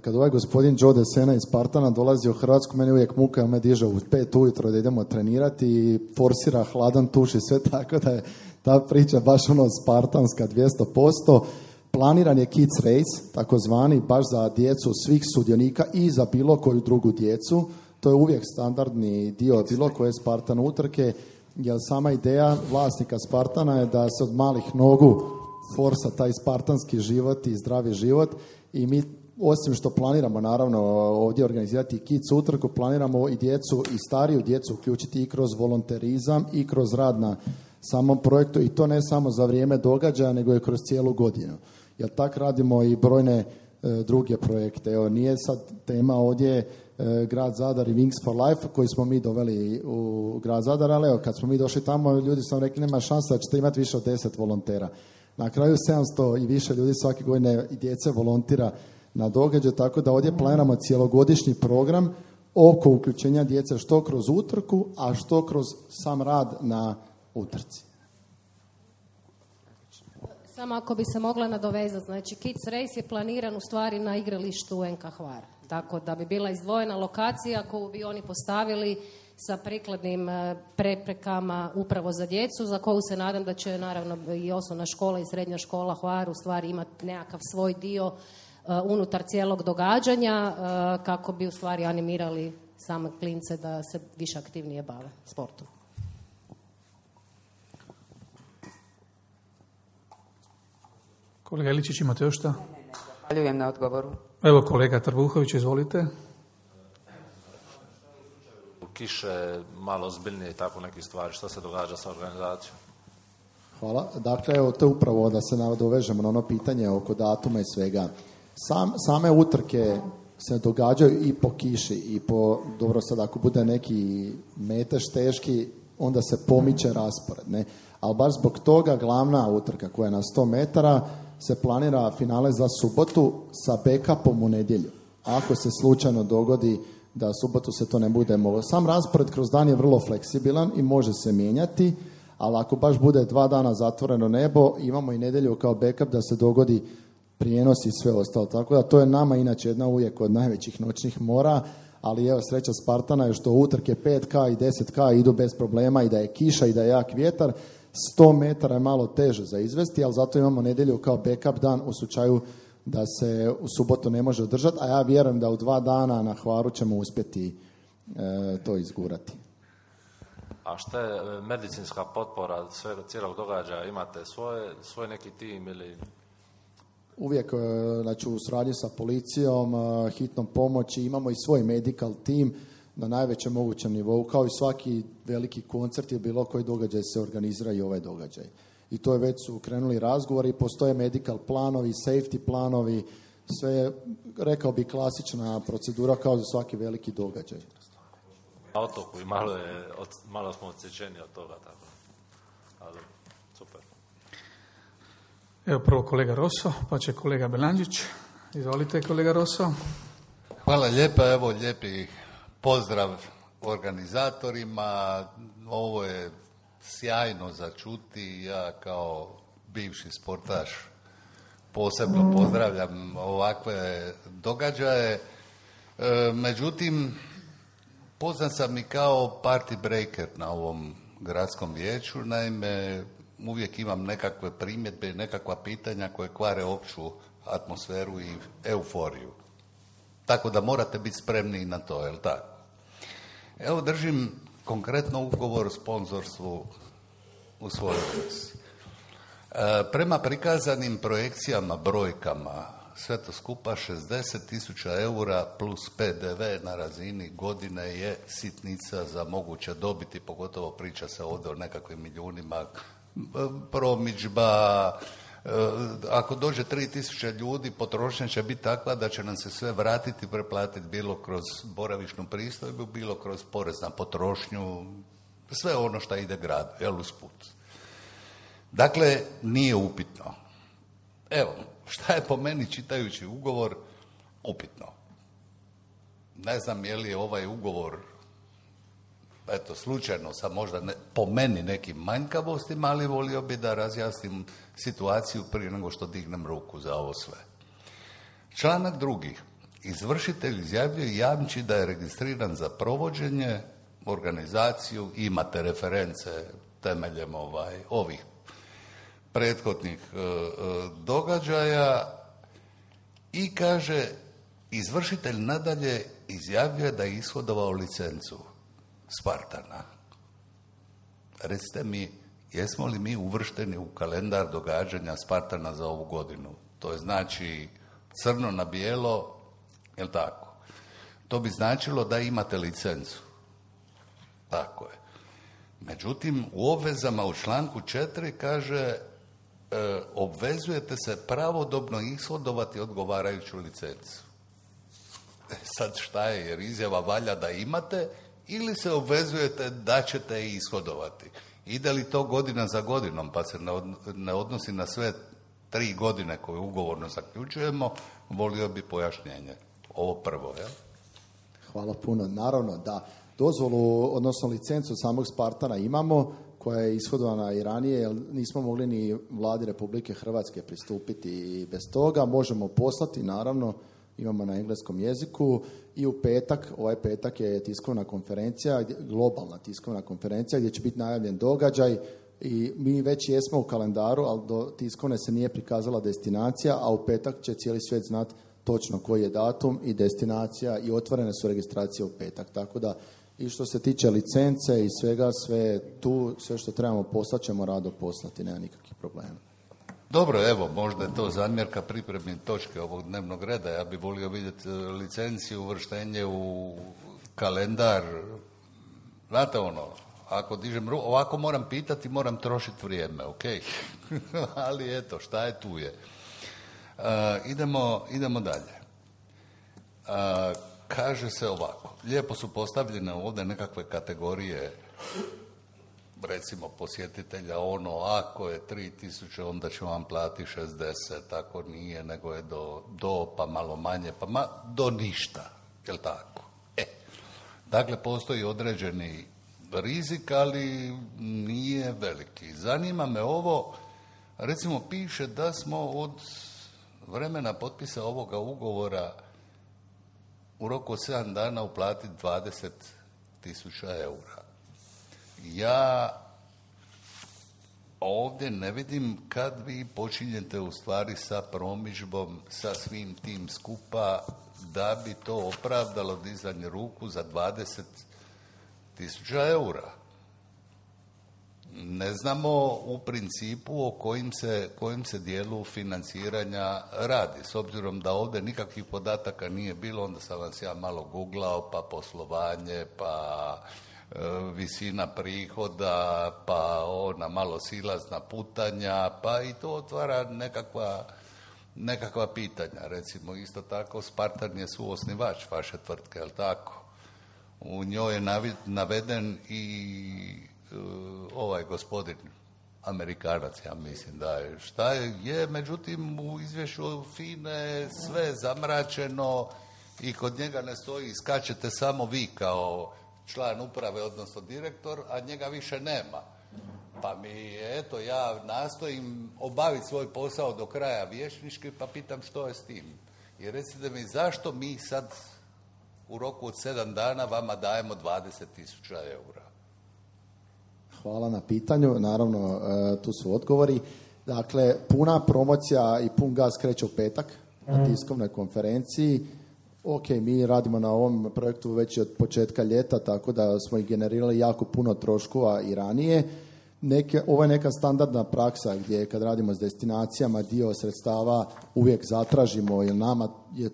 Kad ovaj gospodin Joe Desena iz Spartana dolazi u Hrvatsku, meni uvijek muka, on me diže u 5 ujutro da idemo trenirati i forsira hladan tuš i sve, tako da je ta priča baš spartanska 200%. Planiran je Kids Race, takozvani, baš za djecu svih sudionika i za bilo koju drugu djecu. To je uvijek standardni dio bilo koje Spartan utrke, jer sama ideja vlasnika Spartana je da se od malih nogu forsa taj spartanski život i zdravi život i mi osim što planiramo naravno ovdje organizirati Kids utrku, planiramo i djecu i stariju djecu uključiti i kroz volonterizam i kroz rad na samom projektu i to ne samo za vrijeme događaja nego i kroz cijelu godinu. Jer tak radimo i brojne druge projekte. Evo, nije sad tema ovdje grad Zadar i Wings for Life koji smo mi doveli u grad Zadar, ali evo, kad smo mi došli tamo, ljudi su nam rekli nema šanse da ćete imati više od 10 volontera. Na kraju 700 i više ljudi svake godine i djece volontira na događaj, tako da ovdje planiramo cijelogodišnji program oko uključenja djece što kroz utrku, a što kroz sam rad na utrci. Samo ako bi se mogla nadovezati, znači Kids Race je planiran u stvari na igralištu NK Hvar, tako da bi bila izdvojena lokacija koju bi oni postavili sa prikladnim preprekama upravo za djecu, za koju se nadam da će naravno i osnovna škola i srednja škola Hvar u stvari imati nekakav svoj dio unutar cijelog događanja kako bi u stvari animirali same klince da se više aktivnije bave sportom. Kolega Iličić, imate još šta? Zahvaljujem na odgovoru. Evo kolega Trbuhović, izvolite. Kiše, malo ozbiljnije i tako neke stvari. Što se događa sa organizacijom? Hvala. Dakle, evo, to je upravo da se nadovežemo na ono pitanje oko datuma i svega. Same utrke se događaju i po kiši i po, dobro sad ako bude neki metež teški, onda se pomiče raspored, ne? Ali baš zbog toga glavna utrka koja je na 100 metara se planira finale za subotu sa backupom u nedjelju. Ako se slučajno dogodi da subotu se to ne bude moglo. Sam raspored kroz dan je vrlo fleksibilan i može se mijenjati, ali ako baš bude 2 dana zatvoreno nebo, imamo i nedjelju kao backup da se dogodi prijenos i sve ostalo. Tako da to je nama inače jedna uvijek od najvećih noćnih mora, ali evo sreća Spartana je što utrke 5K i 10K idu bez problema i da je kiša i da je jak vjetar. 100 metara je malo teže za izvesti, ali zato imamo nedjelju kao backup dan u slučaju da se u subotu ne može održati, a ja vjerujem da u 2 dana na Hvaru ćemo uspjeti to izgurati. A šta je medicinska potpora cijelog događaja? Imate svoj neki tim ili... Uvijek, znači u suradnji sa policijom, hitnom pomoći, imamo i svoj medical team na najvećem mogućem nivou, kao i svaki veliki koncert ili bilo koji događaj se organizira i ovaj događaj. I to je već su krenuli razgovori, postoje medical planovi, safety planovi, sve, rekao bi, klasična procedura kao za svaki veliki događaj. Na otoku i malo smo odsječeni od toga, tako. Ali, super. Evo prvo kolega Rosso, pa će kolega Belanđić. Izvolite kolega Rosso. Hvala lijepa, evo lijepi pozdrav organizatorima. Ovo je sjajno za čuti. Ja kao bivši sportaš posebno pozdravljam ovakve događaje. Međutim, poznat sam i kao party breaker na ovom gradskom vijeću, naime uvijek imam nekakve primjedbe i nekakva pitanja koje kvare opću atmosferu i euforiju. Tako da morate biti spremni i na to, jel tako? Evo držim konkretno ugovor o sponzorstvu u svojoj ruci. Prema prikazanim projekcijama, brojkama, sve to skupa 60.000 eura plus PDV na razini godine je sitnica za moguće dobiti, pogotovo priča se ovdje o nekakvim milijunima, promidžba. Ako dođe 3.000 ljudi, potrošnja će biti takva da će nam se sve vratiti, preplatiti bilo kroz boravišnu pristojbu, bilo kroz porez na potrošnju, sve ono što ide gradu, jel, usput. Dakle, nije upitno. Evo, šta je po meni čitajući ugovor upitno? Ne znam je li ovaj ugovor, eto, slučajno sa možda po meni nekim manjkavostima, ali volio bi da razjasnim situaciju prije nego što dignem ruku za ovo sve. Članak 2. Izvršitelj izjavljuje i jamči da je registriran za provođenje, organizaciju, imate reference temeljem ovih prethodnih događaja i kaže, izvršitelj nadalje izjavljuje da je ishodovao licencu Spartana. Recite mi, jesmo li mi uvršteni u kalendar događanja Spartana za ovu godinu? To je znači crno na bijelo, jel tako? To bi značilo da imate licencu. Tako je. Međutim, u obvezama u članku 4 kaže obvezujete se pravodobno ishodovati odgovarajuću licencu. Sad šta je, jer izjava valja da imate ili se obvezujete da ćete je ishodovati. Ide li to godina za godinom, pa se ne odnosi na sve 3 godine koje ugovorno zaključujemo, volio bi pojašnjenje. Ovo prvo, jel? Hvala puno. Naravno da dozvolu, odnosno licencu samog Spartana imamo, koja je ishodovana i ranije, jer nismo mogli ni vladi Republike Hrvatske pristupiti i bez toga. Možemo poslati, naravno, imamo na engleskom jeziku i u petak, ovaj petak je tiskovna konferencija, globalna tiskovna konferencija gdje će biti najavljen događaj i mi već jesmo u kalendaru, ali do tiskovne se nije prikazala destinacija, a u petak će cijeli svijet znati točno koji je datum i destinacija i otvorene su registracije u petak. Tako da i što se tiče licence i svega, sve tu, sve što trebamo poslati ćemo rado poslati, nema nikakvih problema. Dobro, evo, možda je to zamjerka pripremne točke ovog dnevnog reda. Ja bih volio vidjeti licenciju, uvrštenje u kalendar. Znate ono, ako dižem ruku, ovako moram pitati, moram trošiti vrijeme, ok? Ali eto, šta je tu je. Idemo dalje. Kaže se ovako, lijepo su postavljene ovdje nekakve kategorije, recimo posjetitelja, ono, ako je 3.000, onda ću vam platiti 60, ako nije, nego je do pa malo manje, pa do ništa, jel tako? Dakle, postoji određeni rizik, ali nije veliki. Zanima me ovo, recimo piše da smo od vremena potpisa ovoga ugovora u roku od 7 dana uplatiti 20.000 eura. Ja ovdje ne vidim kad vi počinjete u stvari sa promidžbom, sa svim tim skupa, da bi to opravdalo dizanje ruku za 20.000 eura. Ne znamo u principu o kojim se dijelu financiranja radi. S obzirom da ovdje nikakvih podataka nije bilo, onda sam vas ja malo googlao, pa poslovanje, pa visina prihoda, pa ona malo silazna putanja, pa i to otvara nekakva pitanja. Recimo, isto tako, Spartan je suosnivač vaše tvrtke, je li tako? U njoj je naveden i ovaj gospodin Amerikanac, ja mislim da je. Šta je, međutim, u izvješću FINE sve zamračeno i kod njega ne stoji, iskačete samo vi kao član uprave, odnosno direktor, a njega više nema. Pa ja nastojim obaviti svoj posao do kraja vijećnički, pa pitam što je s tim. I recite mi, zašto mi sad u roku od 7 dana vama dajemo 20.000 eura. Hvala na pitanju. Naravno, tu su odgovori. Dakle, puna promocija i pun gas kreće u petak na tiskovnoj konferenciji. Ok, mi radimo na ovom projektu već od početka ljeta, tako da smo i generirali jako puno troškova i ranije. Ovo je neka standardna praksa gdje kad radimo s destinacijama dio sredstava uvijek zatražimo, jer nama je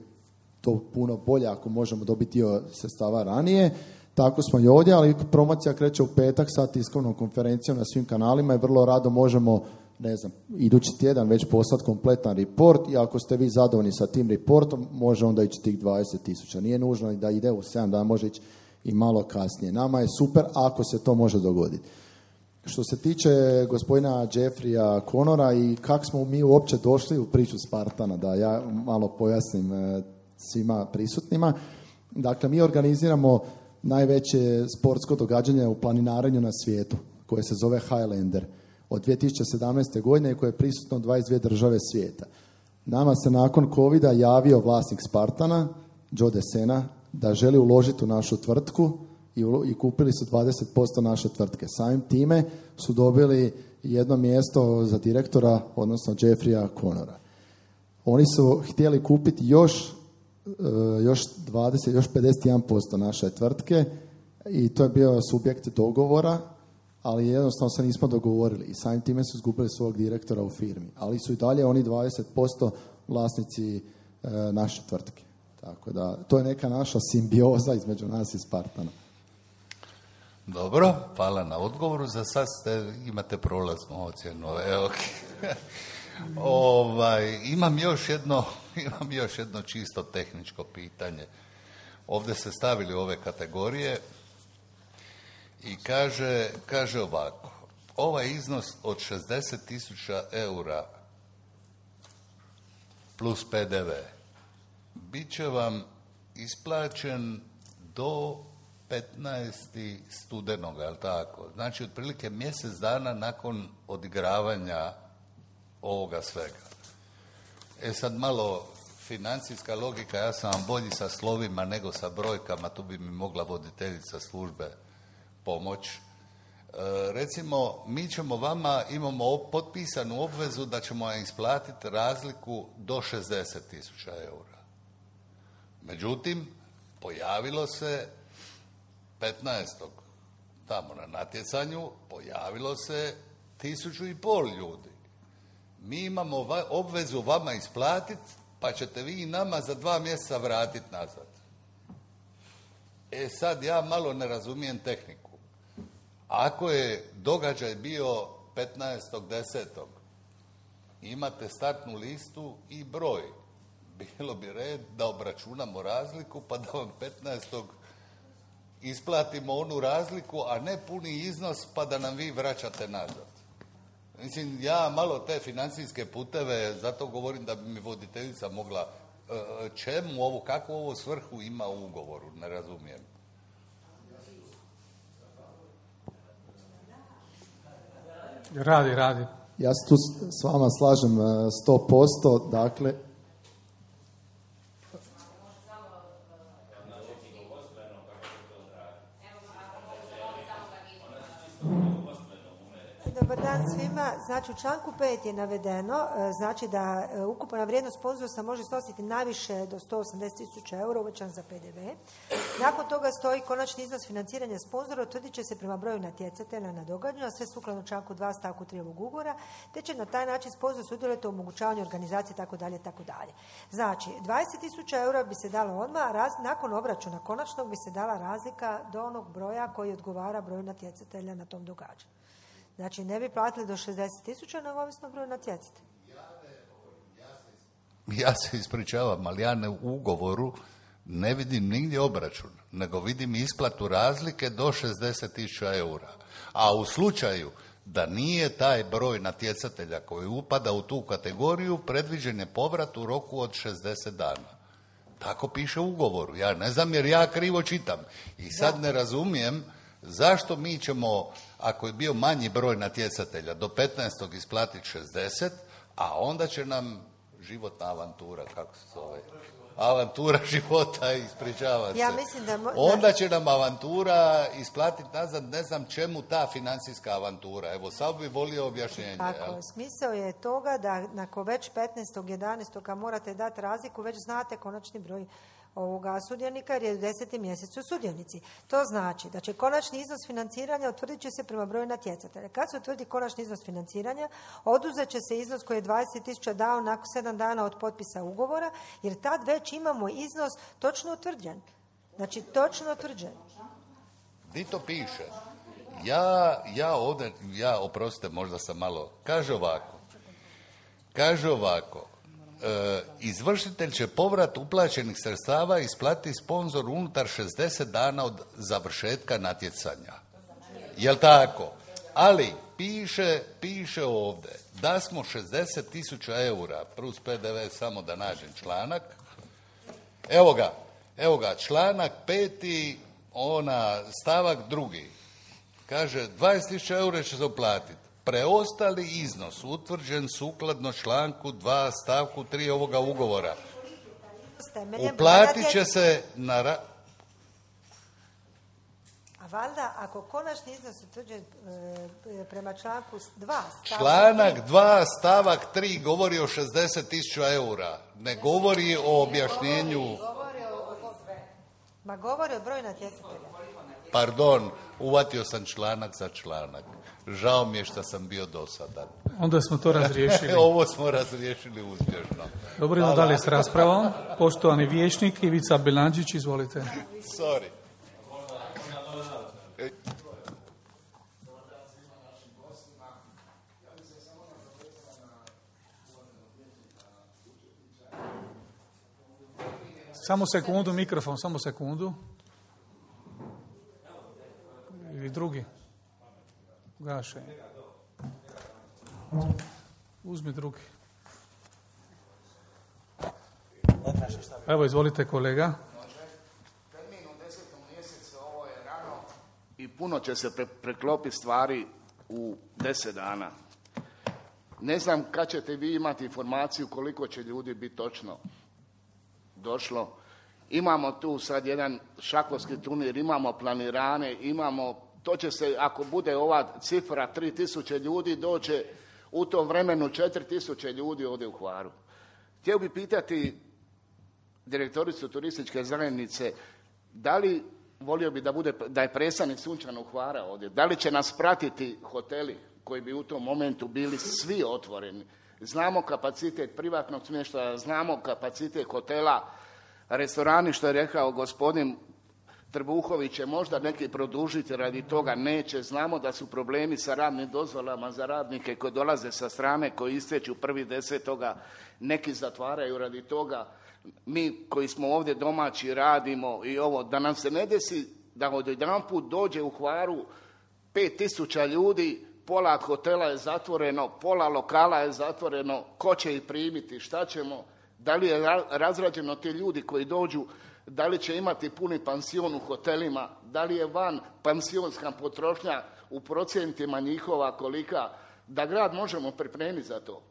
to puno bolje ako možemo dobiti dio sredstava ranije. Tako smo i ovdje, ali promocija kreće u petak sa tiskovnom konferencijom na svim kanalima i vrlo rado možemo, ne znam, idući tjedan već poslati kompletan report i ako ste vi zadovoljni sa tim reportom, može onda ići tih 20.000. Nije nužno da ide u 7 dana, može ići i malo kasnije. Nama je super ako se to može dogoditi. Što se tiče gospodina Jeffreya Connora i kako smo mi uopće došli u priču Spartana, da ja malo pojasnim svima prisutnima. Dakle, mi organiziramo najveće sportsko događanje u planinarenju na svijetu, koje se zove Highlander, od 2017. godine koje je prisutno u 22 države svijeta. Nama se nakon covida javio vlasnik Spartana, Joe Desena, da želi uložiti u našu tvrtku i kupili su 20% naše tvrtke. Samim time su dobili jedno mjesto za direktora, odnosno Jeffreya Connora. Oni su htjeli kupiti još 51% naše tvrtke i to je bio subjekt dogovora, ali jednostavno se nismo dogovorili i samim time su izgubili svog direktora u firmi. Ali su i dalje oni 20% vlasnici naše tvrtke. Tako da, to je neka naša simbioza između nas i Spartana. Dobro, hvala na odgovoru. Za sad imate prolaznu ocjenu. Evo. Imam još jedno čisto tehničko pitanje. Ovdje ste stavili ove kategorije i kaže ovako. Ovaj iznos od 60.000 eura plus PDV bit će vam isplaćen do 15. studenoga, je li tako? Znači, otprilike mjesec dana nakon odigravanja ovoga svega. Sad malo financijska logika, ja sam vam bolji sa slovima nego sa brojkama, tu bi mi mogla voditeljica službe pomoć. Recimo, mi ćemo vama, imamo potpisanu obvezu da ćemo vam isplatiti razliku do 60.000 eura. Međutim, pojavilo se 15. tamo na natjecanju, pojavilo se 1.500 ljudi. Mi imamo obvezu vama isplatiti, pa ćete vi nama za 2 mjeseca vratiti nazad. Sad ja malo ne razumijem tehniku. Ako je događaj bio 15.10. imate startnu listu i broj. Bilo bi red da obračunamo razliku pa da vam 15. isplatimo onu razliku, a ne puni iznos pa da nam vi vraćate nazad. Mislim, ja malo te financijske puteve, zato govorim da bi mi voditeljica mogla, čemu ovo, kakvu ovo svrhu ima u ugovoru, ne razumijem. Radi. Ja se tu s vama slažem 100%, dakle... Dobar dan svima. Znači, u članku 5 je navedeno, znači da ukupna vrijednost sponzorstva može iznositi najviše do 180.000 eura uvećan za PDV. Nakon toga stoji konačni iznos financiranja sponzora utvrdit će se prema broju natjecatelja na događanju, a sve sukladno članku 2 stavku 3 ovog ugovora, te će na taj način sponzor sudjelovati u omogućavanju organizacije itd. Znači, 20.000 eura bi se dalo odmah, a nakon obračuna konačnog bi se dala razlika do onog broja koji odgovara broju natjecatelja na tom događanju. Znači, ne bi platili do 60.000, nego ovisno broju natjecatelja. Ja se ispričavam, ali ja u ugovoru ne vidim nigdje obračun, nego vidim isplatu razlike do 60.000 eura. A u slučaju da nije taj broj natjecatelja koji upada u tu kategoriju, predviđen je povrat u roku od 60 dana. Tako piše u ugovoru. Ja ne znam jer ja krivo čitam. I sad ne razumijem zašto mi ćemo, ako je bio manji broj natjecatelja, do 15. isplatiti 60, a onda će nam životna avantura, kako se zove, avantura života, ispričavam se. Ja mislim da onda će nam avantura isplatiti nazad, ne znam čemu ta financijska avantura. Evo, sad bi volio objašnjenje. Tako, smisao je toga da nakon već 15.11. kad morate dati razliku, već znate konačni broj sudionika jer je u 10. mjesecu sudjonici. To znači da će konačni iznos financiranja utvrdit će se prema broju natjecatelja. Kad se utvrdi konačni iznos financiranja, oduzet će se iznos koji je 20.000 dao nakon 7 dana od potpisa ugovora, jer tad već imamo iznos točno utvrđen. Znači, točno utvrđen. Di to piše? Ja oprostite, možda sam malo... Kaže ovako. Izvršitelj će povrat uplaćenih sredstava isplatiti sponzor unutar 60 dana od završetka natjecanja. Jel tako? Ali piše ovdje da smo 60.000 eura plus PDV, samo da nađem članak. Evo ga, članak 5. stavak 2. Kaže 20.000 eura će se uplatiti. Preostali iznos utvrđen sukladno članku 2 stavku 3 ovoga ugovora uplatit će se na... A valjda, ako konačni iznos utvrđen prema članku 2 Članak 2 stavak 3 govori o 60.000 eura. Ne govori o objašnjenju... govori o broju natjecatelja. Pardon, uvatio sam članak za članak. Žao mi je što sam bio dosadan. Onda smo to razriješili. Ovo smo razriješili uspješno. Dobro, idemo dalje s raspravom. Poštovani vijećnik Ivica Belanđić, izvolite. Sorry. Samo sekundu, mikrofon, samo sekundu. Ili drugi. Gaše. Uzmi drugi. Evo, izvolite kolega. Termin u 10. mjesecu, ovo je rano i puno će se preklopiti stvari u 10 dana. Ne znam kad ćete vi imati informaciju koliko će ljudi biti točno došlo. Imamo tu sad jedan šahovski turnir, imamo planirane, to će se, ako bude ova cifra 3.000 ljudi, doće u tom vremenu 4.000 ljudi ovdje u Hvaru. Htio bi pitati direktoricu turističke zajednice, da li, volio bi da je predstavnik Sunčanog Hvara ovdje, da li će nas pratiti hoteli koji bi u tom momentu bili svi otvoreni. Znamo kapacitet privatnog smještaja, znamo kapacitet hotela, restorani, što je rekao gospodin Trbuhović, će možda neki produžiti, radi toga neće. Znamo da su problemi sa radnim dozvolama za radnike koji dolaze sa strane, koji istječu 1.10. Neki zatvaraju radi toga. Mi koji smo ovdje domaći radimo i ovo, da nam se ne desi da odjedanput dođe u Hvaru 5.000 ljudi, pola hotela je zatvoreno, pola lokala je zatvoreno, ko će ih primiti, šta ćemo, da li je razrađeno ti ljudi koji dođu, da li će imati puni pansion u hotelima, da li je van pansionska potrošnja u procentima njihova kolika, da grad možemo pripremiti za to.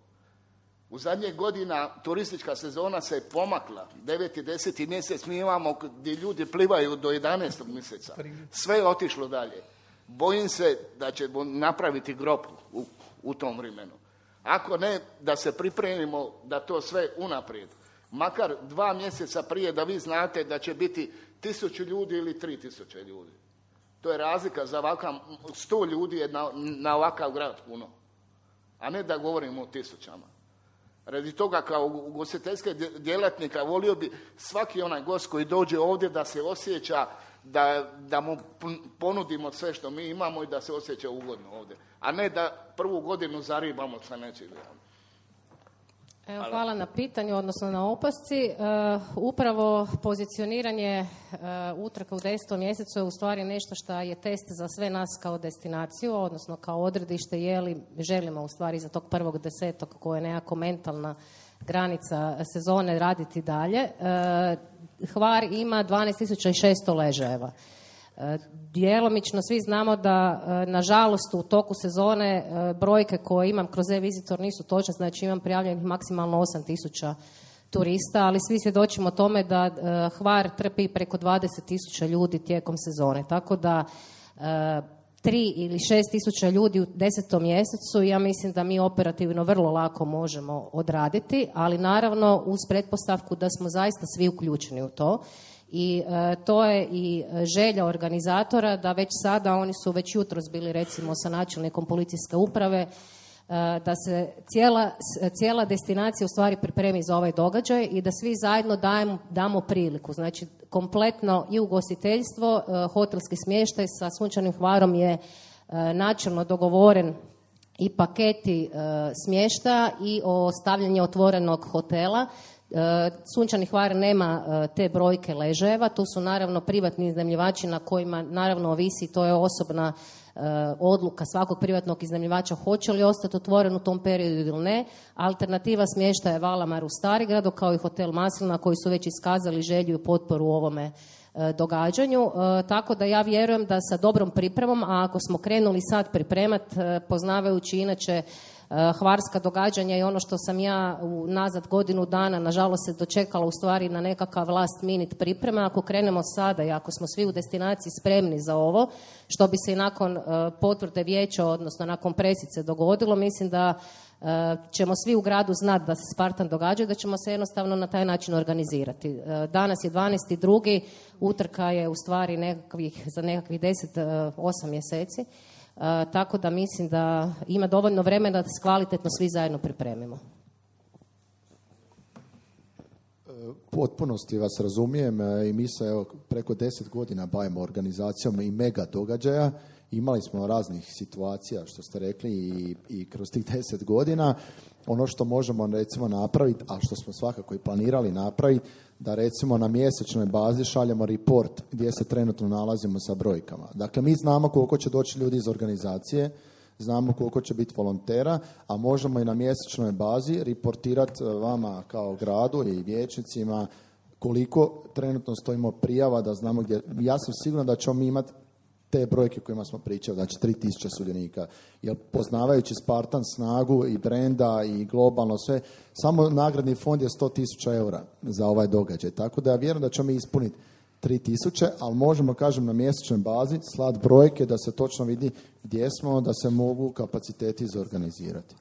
U zadnjih godina turistička sezona se pomakla, 9. i 10. mjesec mi imamo gdje ljudi plivaju do 11. mjeseca. Sve je otišlo dalje. Bojim se da će napraviti grob u tom vremenu. Ako ne, da se pripremimo da to sve unaprijed. Makar 2 mjeseca prije da vi znate da će biti 1.000 ljudi ili 3.000 ljudi. To je razlika za ovakav, 100 ljudi je na ovakav grad puno. A ne da govorimo o 1000. Radi toga kao ugostiteljske djelatnika volio bi svaki onaj gost koji dođe ovdje da se osjeća da mu ponudimo sve što mi imamo i da se osjeća ugodno ovdje. A ne da prvu godinu zaribamo sa nečim. Evo, hvala na pitanju, odnosno na opasci. Upravo pozicioniranje utrka u 10. mjesecu je u stvari nešto što je test za sve nas kao destinaciju, odnosno kao odredište, je li želimo u stvari za tog 1.10. koja je nekako mentalna granica sezone raditi dalje. Hvar ima 12.600 ležajeva. Djelomično svi znamo da, nažalost, u toku sezone brojke koje imam kroz e-visitor nisu točne, znači imam prijavljenih maksimalno 8.000 turista, ali svi svjedočimo tome da Hvar trpi preko 20.000 ljudi tijekom sezone, tako da 3 ili 6.000 ljudi u 10. mjesecu, ja mislim da mi operativno vrlo lako možemo odraditi, ali naravno uz pretpostavku da smo zaista svi uključeni u to. I to je i želja organizatora da već sada, oni su već jutros bili recimo sa načelnikom policijske uprave, da se cijela destinacija u stvari pripremi za ovaj događaj i da svi zajedno damo priliku. Znači, kompletno i ugostiteljstvo, hotelski smještaj sa Sunčanim Hvarom je načelno dogovoren i paketi smještaja i o stavljanju otvorenog hotela. Sunčani Hvar nema te brojke ležajeva, tu su naravno privatni iznajmljivači na kojima naravno ovisi, to je osobna odluka svakog privatnog iznajmljivača hoće li ostati otvoren u tom periodu ili ne. Alternativa smještaja je Valamar u Starigradu kao i hotel Maslina koji su već iskazali želju i potporu u ovome događanju, tako da ja vjerujem da sa dobrom pripremom, a ako smo krenuli sad pripremati, poznavajući inače hvarska događanja i ono što sam ja nazad godinu dana nažalost se dočekala u stvari na nekakav last minute priprema, ako krenemo sada i ako smo svi u destinaciji spremni za ovo, što bi se i nakon potvrde vijeća, odnosno nakon presice dogodilo, mislim da ćemo svi u gradu znati da se Spartan događa i da ćemo se jednostavno na taj način organizirati. Danas je 12.2. utrka je u stvari za nekakvih 8 mjeseci. Tako da mislim da ima dovoljno vremena da se kvalitetno svi zajedno pripremimo. Potpunosti vas razumijem i mi se preko 10 godina bavimo organizacijom i mega događaja. Imali smo raznih situacija, što ste rekli, i kroz tih 10 godina. Ono što možemo recimo napraviti, a što smo svakako i planirali napraviti, da recimo na mjesečnoj bazi šaljemo report gdje se trenutno nalazimo sa brojkama. Dakle, mi znamo koliko će doći ljudi iz organizacije, znamo koliko će biti volontera, a možemo i na mjesečnoj bazi reportirati vama kao gradu i vijećnicima koliko trenutno stojimo prijava, da znamo gdje. Ja sam siguran da ćemo mi imati te brojke kojima smo pričali, znači 3000 sudionika. Jer poznavajući Spartan snagu i brenda i globalno sve, samo nagradni fond je 100.000 eura za ovaj događaj. Tako da ja vjerujem da ćemo mi ispuniti 3000, ali možemo, kažem, na mjesečnoj bazi slat brojke da se točno vidi gdje smo, da se mogu kapaciteti zorganizirati.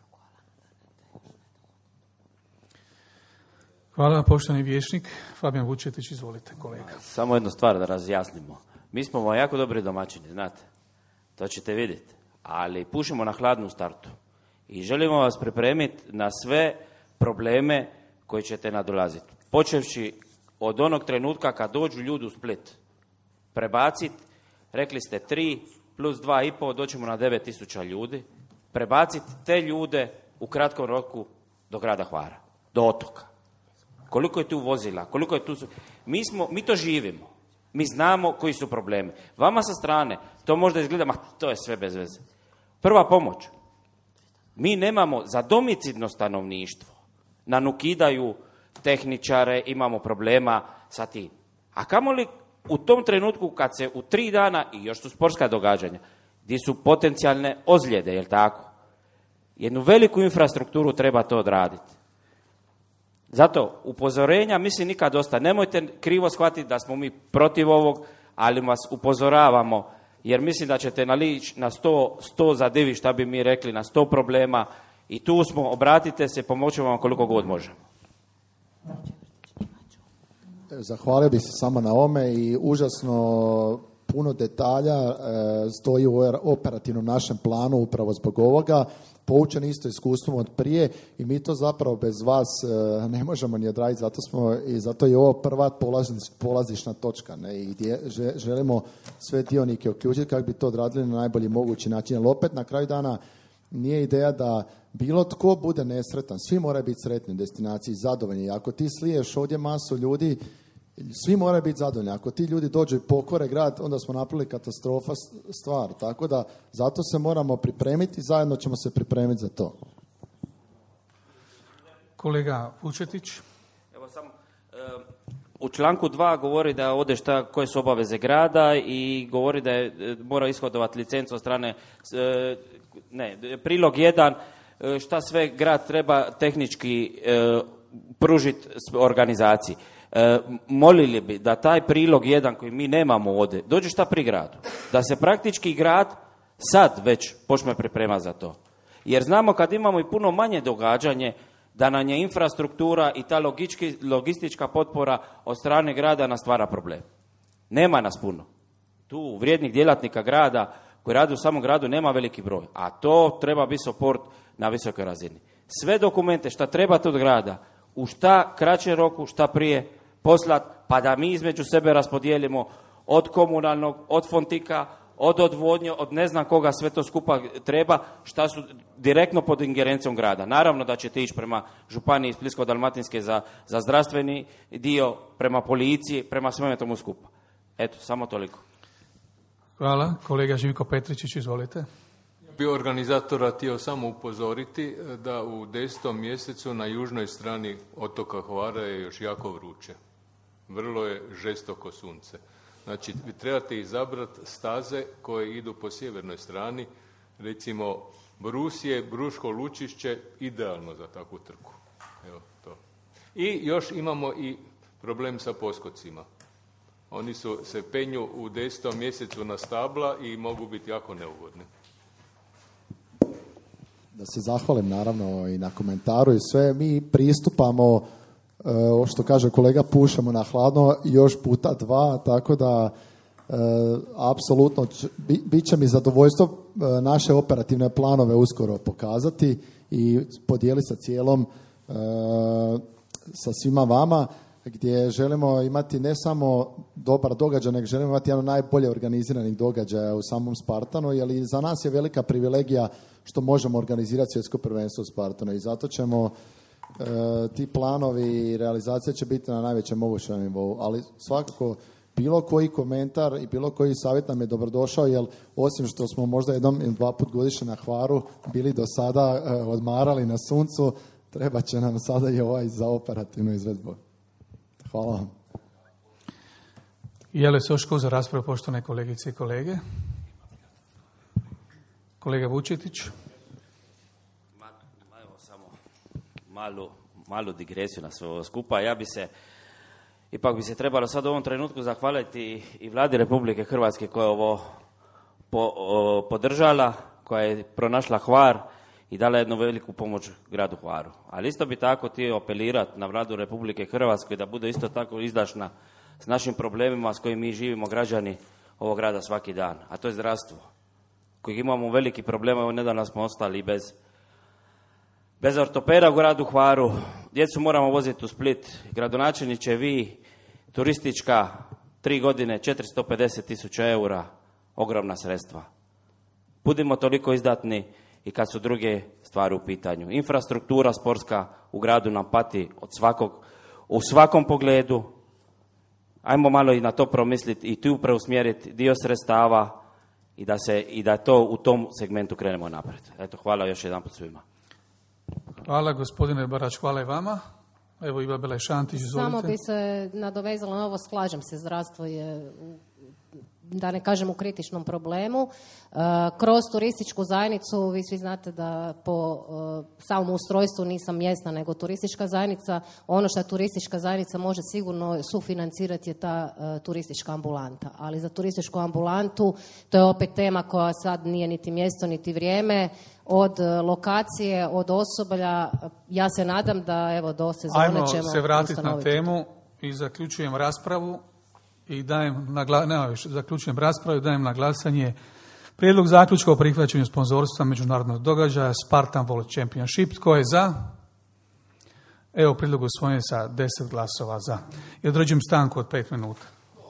Hvala, poštovani vijećnik. Fabijan Vučetić, izvolite, kolega. Samo jednu stvar da razjasnimo. Mi smo vam jako dobri domaćini, znate. To ćete vidjeti. Ali pušimo na hladnu startu. I želimo vas pripremiti na sve probleme koji ćete nadolaziti. Počevši od onog trenutka kad dođu ljudi u Split. Prebaciti, rekli ste 3 plus 2,5, doćemo na 9.000 ljudi. Prebaciti te ljude u kratkom roku do grada Hvara, do otoka. Koliko je tu vozila, koliko je tu... Mi to živimo. Mi znamo koji su problemi. Vama sa strane to možda izgleda, to je sve bez veze. Prva pomoć. Mi nemamo za domicilno stanovništvo. Nam ukidaju tehničare, imamo problema sa tim. A kamoli u tom trenutku kad se u 3 dana, i još su sportska događanja, gdje su potencijalne ozljede, jel tako? Jednu veliku infrastrukturu treba to odraditi. Zato upozorenja mislim nikad dosta. Nemojte krivo shvatiti da smo mi protiv ovog, ali vas upozoravamo, jer mislim da ćete nalići na 100 zadivi, šta bi mi rekli, na 100 problema i tu smo, obratite se, pomoćemo vam koliko god možemo. Zahvalio bih se samo na ome i užasno puno detalja stoji u operativnom našem planu upravo zbog ovoga. Poučen isto iskustvom od prije i mi to zapravo bez vas ne možemo ni odraditi, zato je ovo prva polazišna točka, ne? I gdje želimo sve dionike uključiti kako bi to odradili na najbolji mogući način. Ali opet na kraju dana nije ideja da bilo tko bude nesretan, svi moraju biti sretni u destinaciji, zadovoljni. Ako ti sliješ ovdje masu ljudi, svi moraju biti zadovoljni. Ako ti ljudi dođu i pokore grad, onda smo napravili katastrofa stvar. Tako da zato se moramo pripremiti i zajedno ćemo se pripremiti za to. Kolega Vučetić. Evo samo, u članku 2 govori da ovdje koje su obaveze grada i govori da mora ishodovati licencu od strane, prilog 1, šta sve grad treba tehnički pružiti organizaciji. Molili bi da taj prilog jedan koji mi nemamo ovdje dođe šta pri gradu. Da se praktički grad sad već počne pripremati za to. Jer znamo kad imamo i puno manje događanje da nam je infrastruktura i ta logistička potpora od strane grada nas stvara problem. Nema nas puno. Tu vrijednih djelatnika grada koji rade u samom gradu nema veliki broj. A to treba biti support na visokoj razini. Sve dokumente šta trebate od grada u šta kraćem roku, šta prije poslat, pa da mi između sebe raspodijelimo od komunalnog, od fontika, od odvodnje, od ne znam koga sve to skupa treba, šta su direktno pod ingerencijom grada. Naravno da ćete ići prema županiji Splitsko-dalmatinske za zdravstveni dio, prema policiji, prema sveme tomu skupa. Eto, samo toliko. Hvala. Kolega Živko Petričić, izvolite. Bio organizatora htio samo upozoriti da u 10. mjesecu na južnoj strani otoka Hvara je još jako vruće. Vrlo je žestoko sunce. Znači, vi trebate izabrati staze koje idu po sjevernoj strani, recimo Brusije, Bruško Lučišće, idealno za takvu trku. Evo to. I još imamo i problem sa poskocima. Oni se penju u 10. mjesecu na stabla i mogu biti jako neugodni. Da se zahvalim naravno i na komentaru i sve. Mi pristupamo, što kaže kolega, pušemo na hladno još puta 2, tako da apsolutno bit će mi zadovoljstvo naše operativne planove uskoro pokazati i podijeliti sa cijelom, sa svima vama, gdje želimo imati ne samo dobar događaj, nego želimo imati jedan najbolje organiziranih događaja u samom Spartanu, jer i za nas je velika privilegija što možemo organizirati svjetsko prvenstvo u Spartanu i zato ćemo ti planovi i realizacija će biti na najvećem mogućem nivou, ali svakako bilo koji komentar i bilo koji savjet nam je dobrodošao, jer osim što smo možda 1 ili 2 put godišnje na Hvaru bili do sada odmarali na suncu, treba će nam sada i ovaj za operativnu izvedbu. Hvala vam. Je li se još za raspravu, poštovane kolegice i kolege? Kolega Vučetić. Evo samo malu digresiju na sve ovo skupa. Ipak bi se trebalo sad u ovom trenutku zahvaliti i Vladi Republike Hrvatske koja je ovo podržala, koja je pronašla Hvar i dala jednu veliku pomoć gradu Hvaru. Ali isto bi tako htio apelirati na Vladu Republike Hrvatske da bude isto tako izdašna s našim problemima s kojim mi živimo građani ovog grada svaki dan, a to je zdravstvo. Kojeg imamo veliki problema, evo nedavno smo ostali bez ortopeda u gradu Hvaru, djecu moramo voziti u Split, gradonačelniče vi, turistička, 3 godine, 450.000 eura, ogromna sredstva. Budimo toliko izdatni i kad su druge stvari u pitanju. Infrastruktura sportska u gradu nam pati u svakom pogledu. Ajmo malo i na to promisliti i tu preusmjeriti dio sredstava i da to u tom segmentu krenemo naprijed. Eto, hvala još jedanput svima. Hvala gospodine Barač, hvala i vama. Evo Iva Belaj-Šantić, izvolite. Samo bi se nadovezala na ovo, slažem se, zdravstvo je, da ne kažem, u kritičnom problemu. Kroz turističku zajednicu, vi svi znate da po samom ustrojstvu nisam mjesna nego turistička zajednica. Ono što turistička zajednica može sigurno sufinancirati je ta turistička ambulanta. Ali za turističku ambulantu to je opet tema koja sad nije niti mjesto niti vrijeme. Od lokacije, od osoblja, ja se nadam da evo do sezone ćemo ustanoviti. Ajmo se vratiti na temu i zaključujem raspravu. I zaključujem raspravu i dajem na glasanje prijedlog zaključka o prihvaćanju sponzorstva međunarodnog događaja Spartan World Championship. Tko je za? Evo, prijedlog usvojen sa 10 glasova za. I određujem stanku od 5 minuta.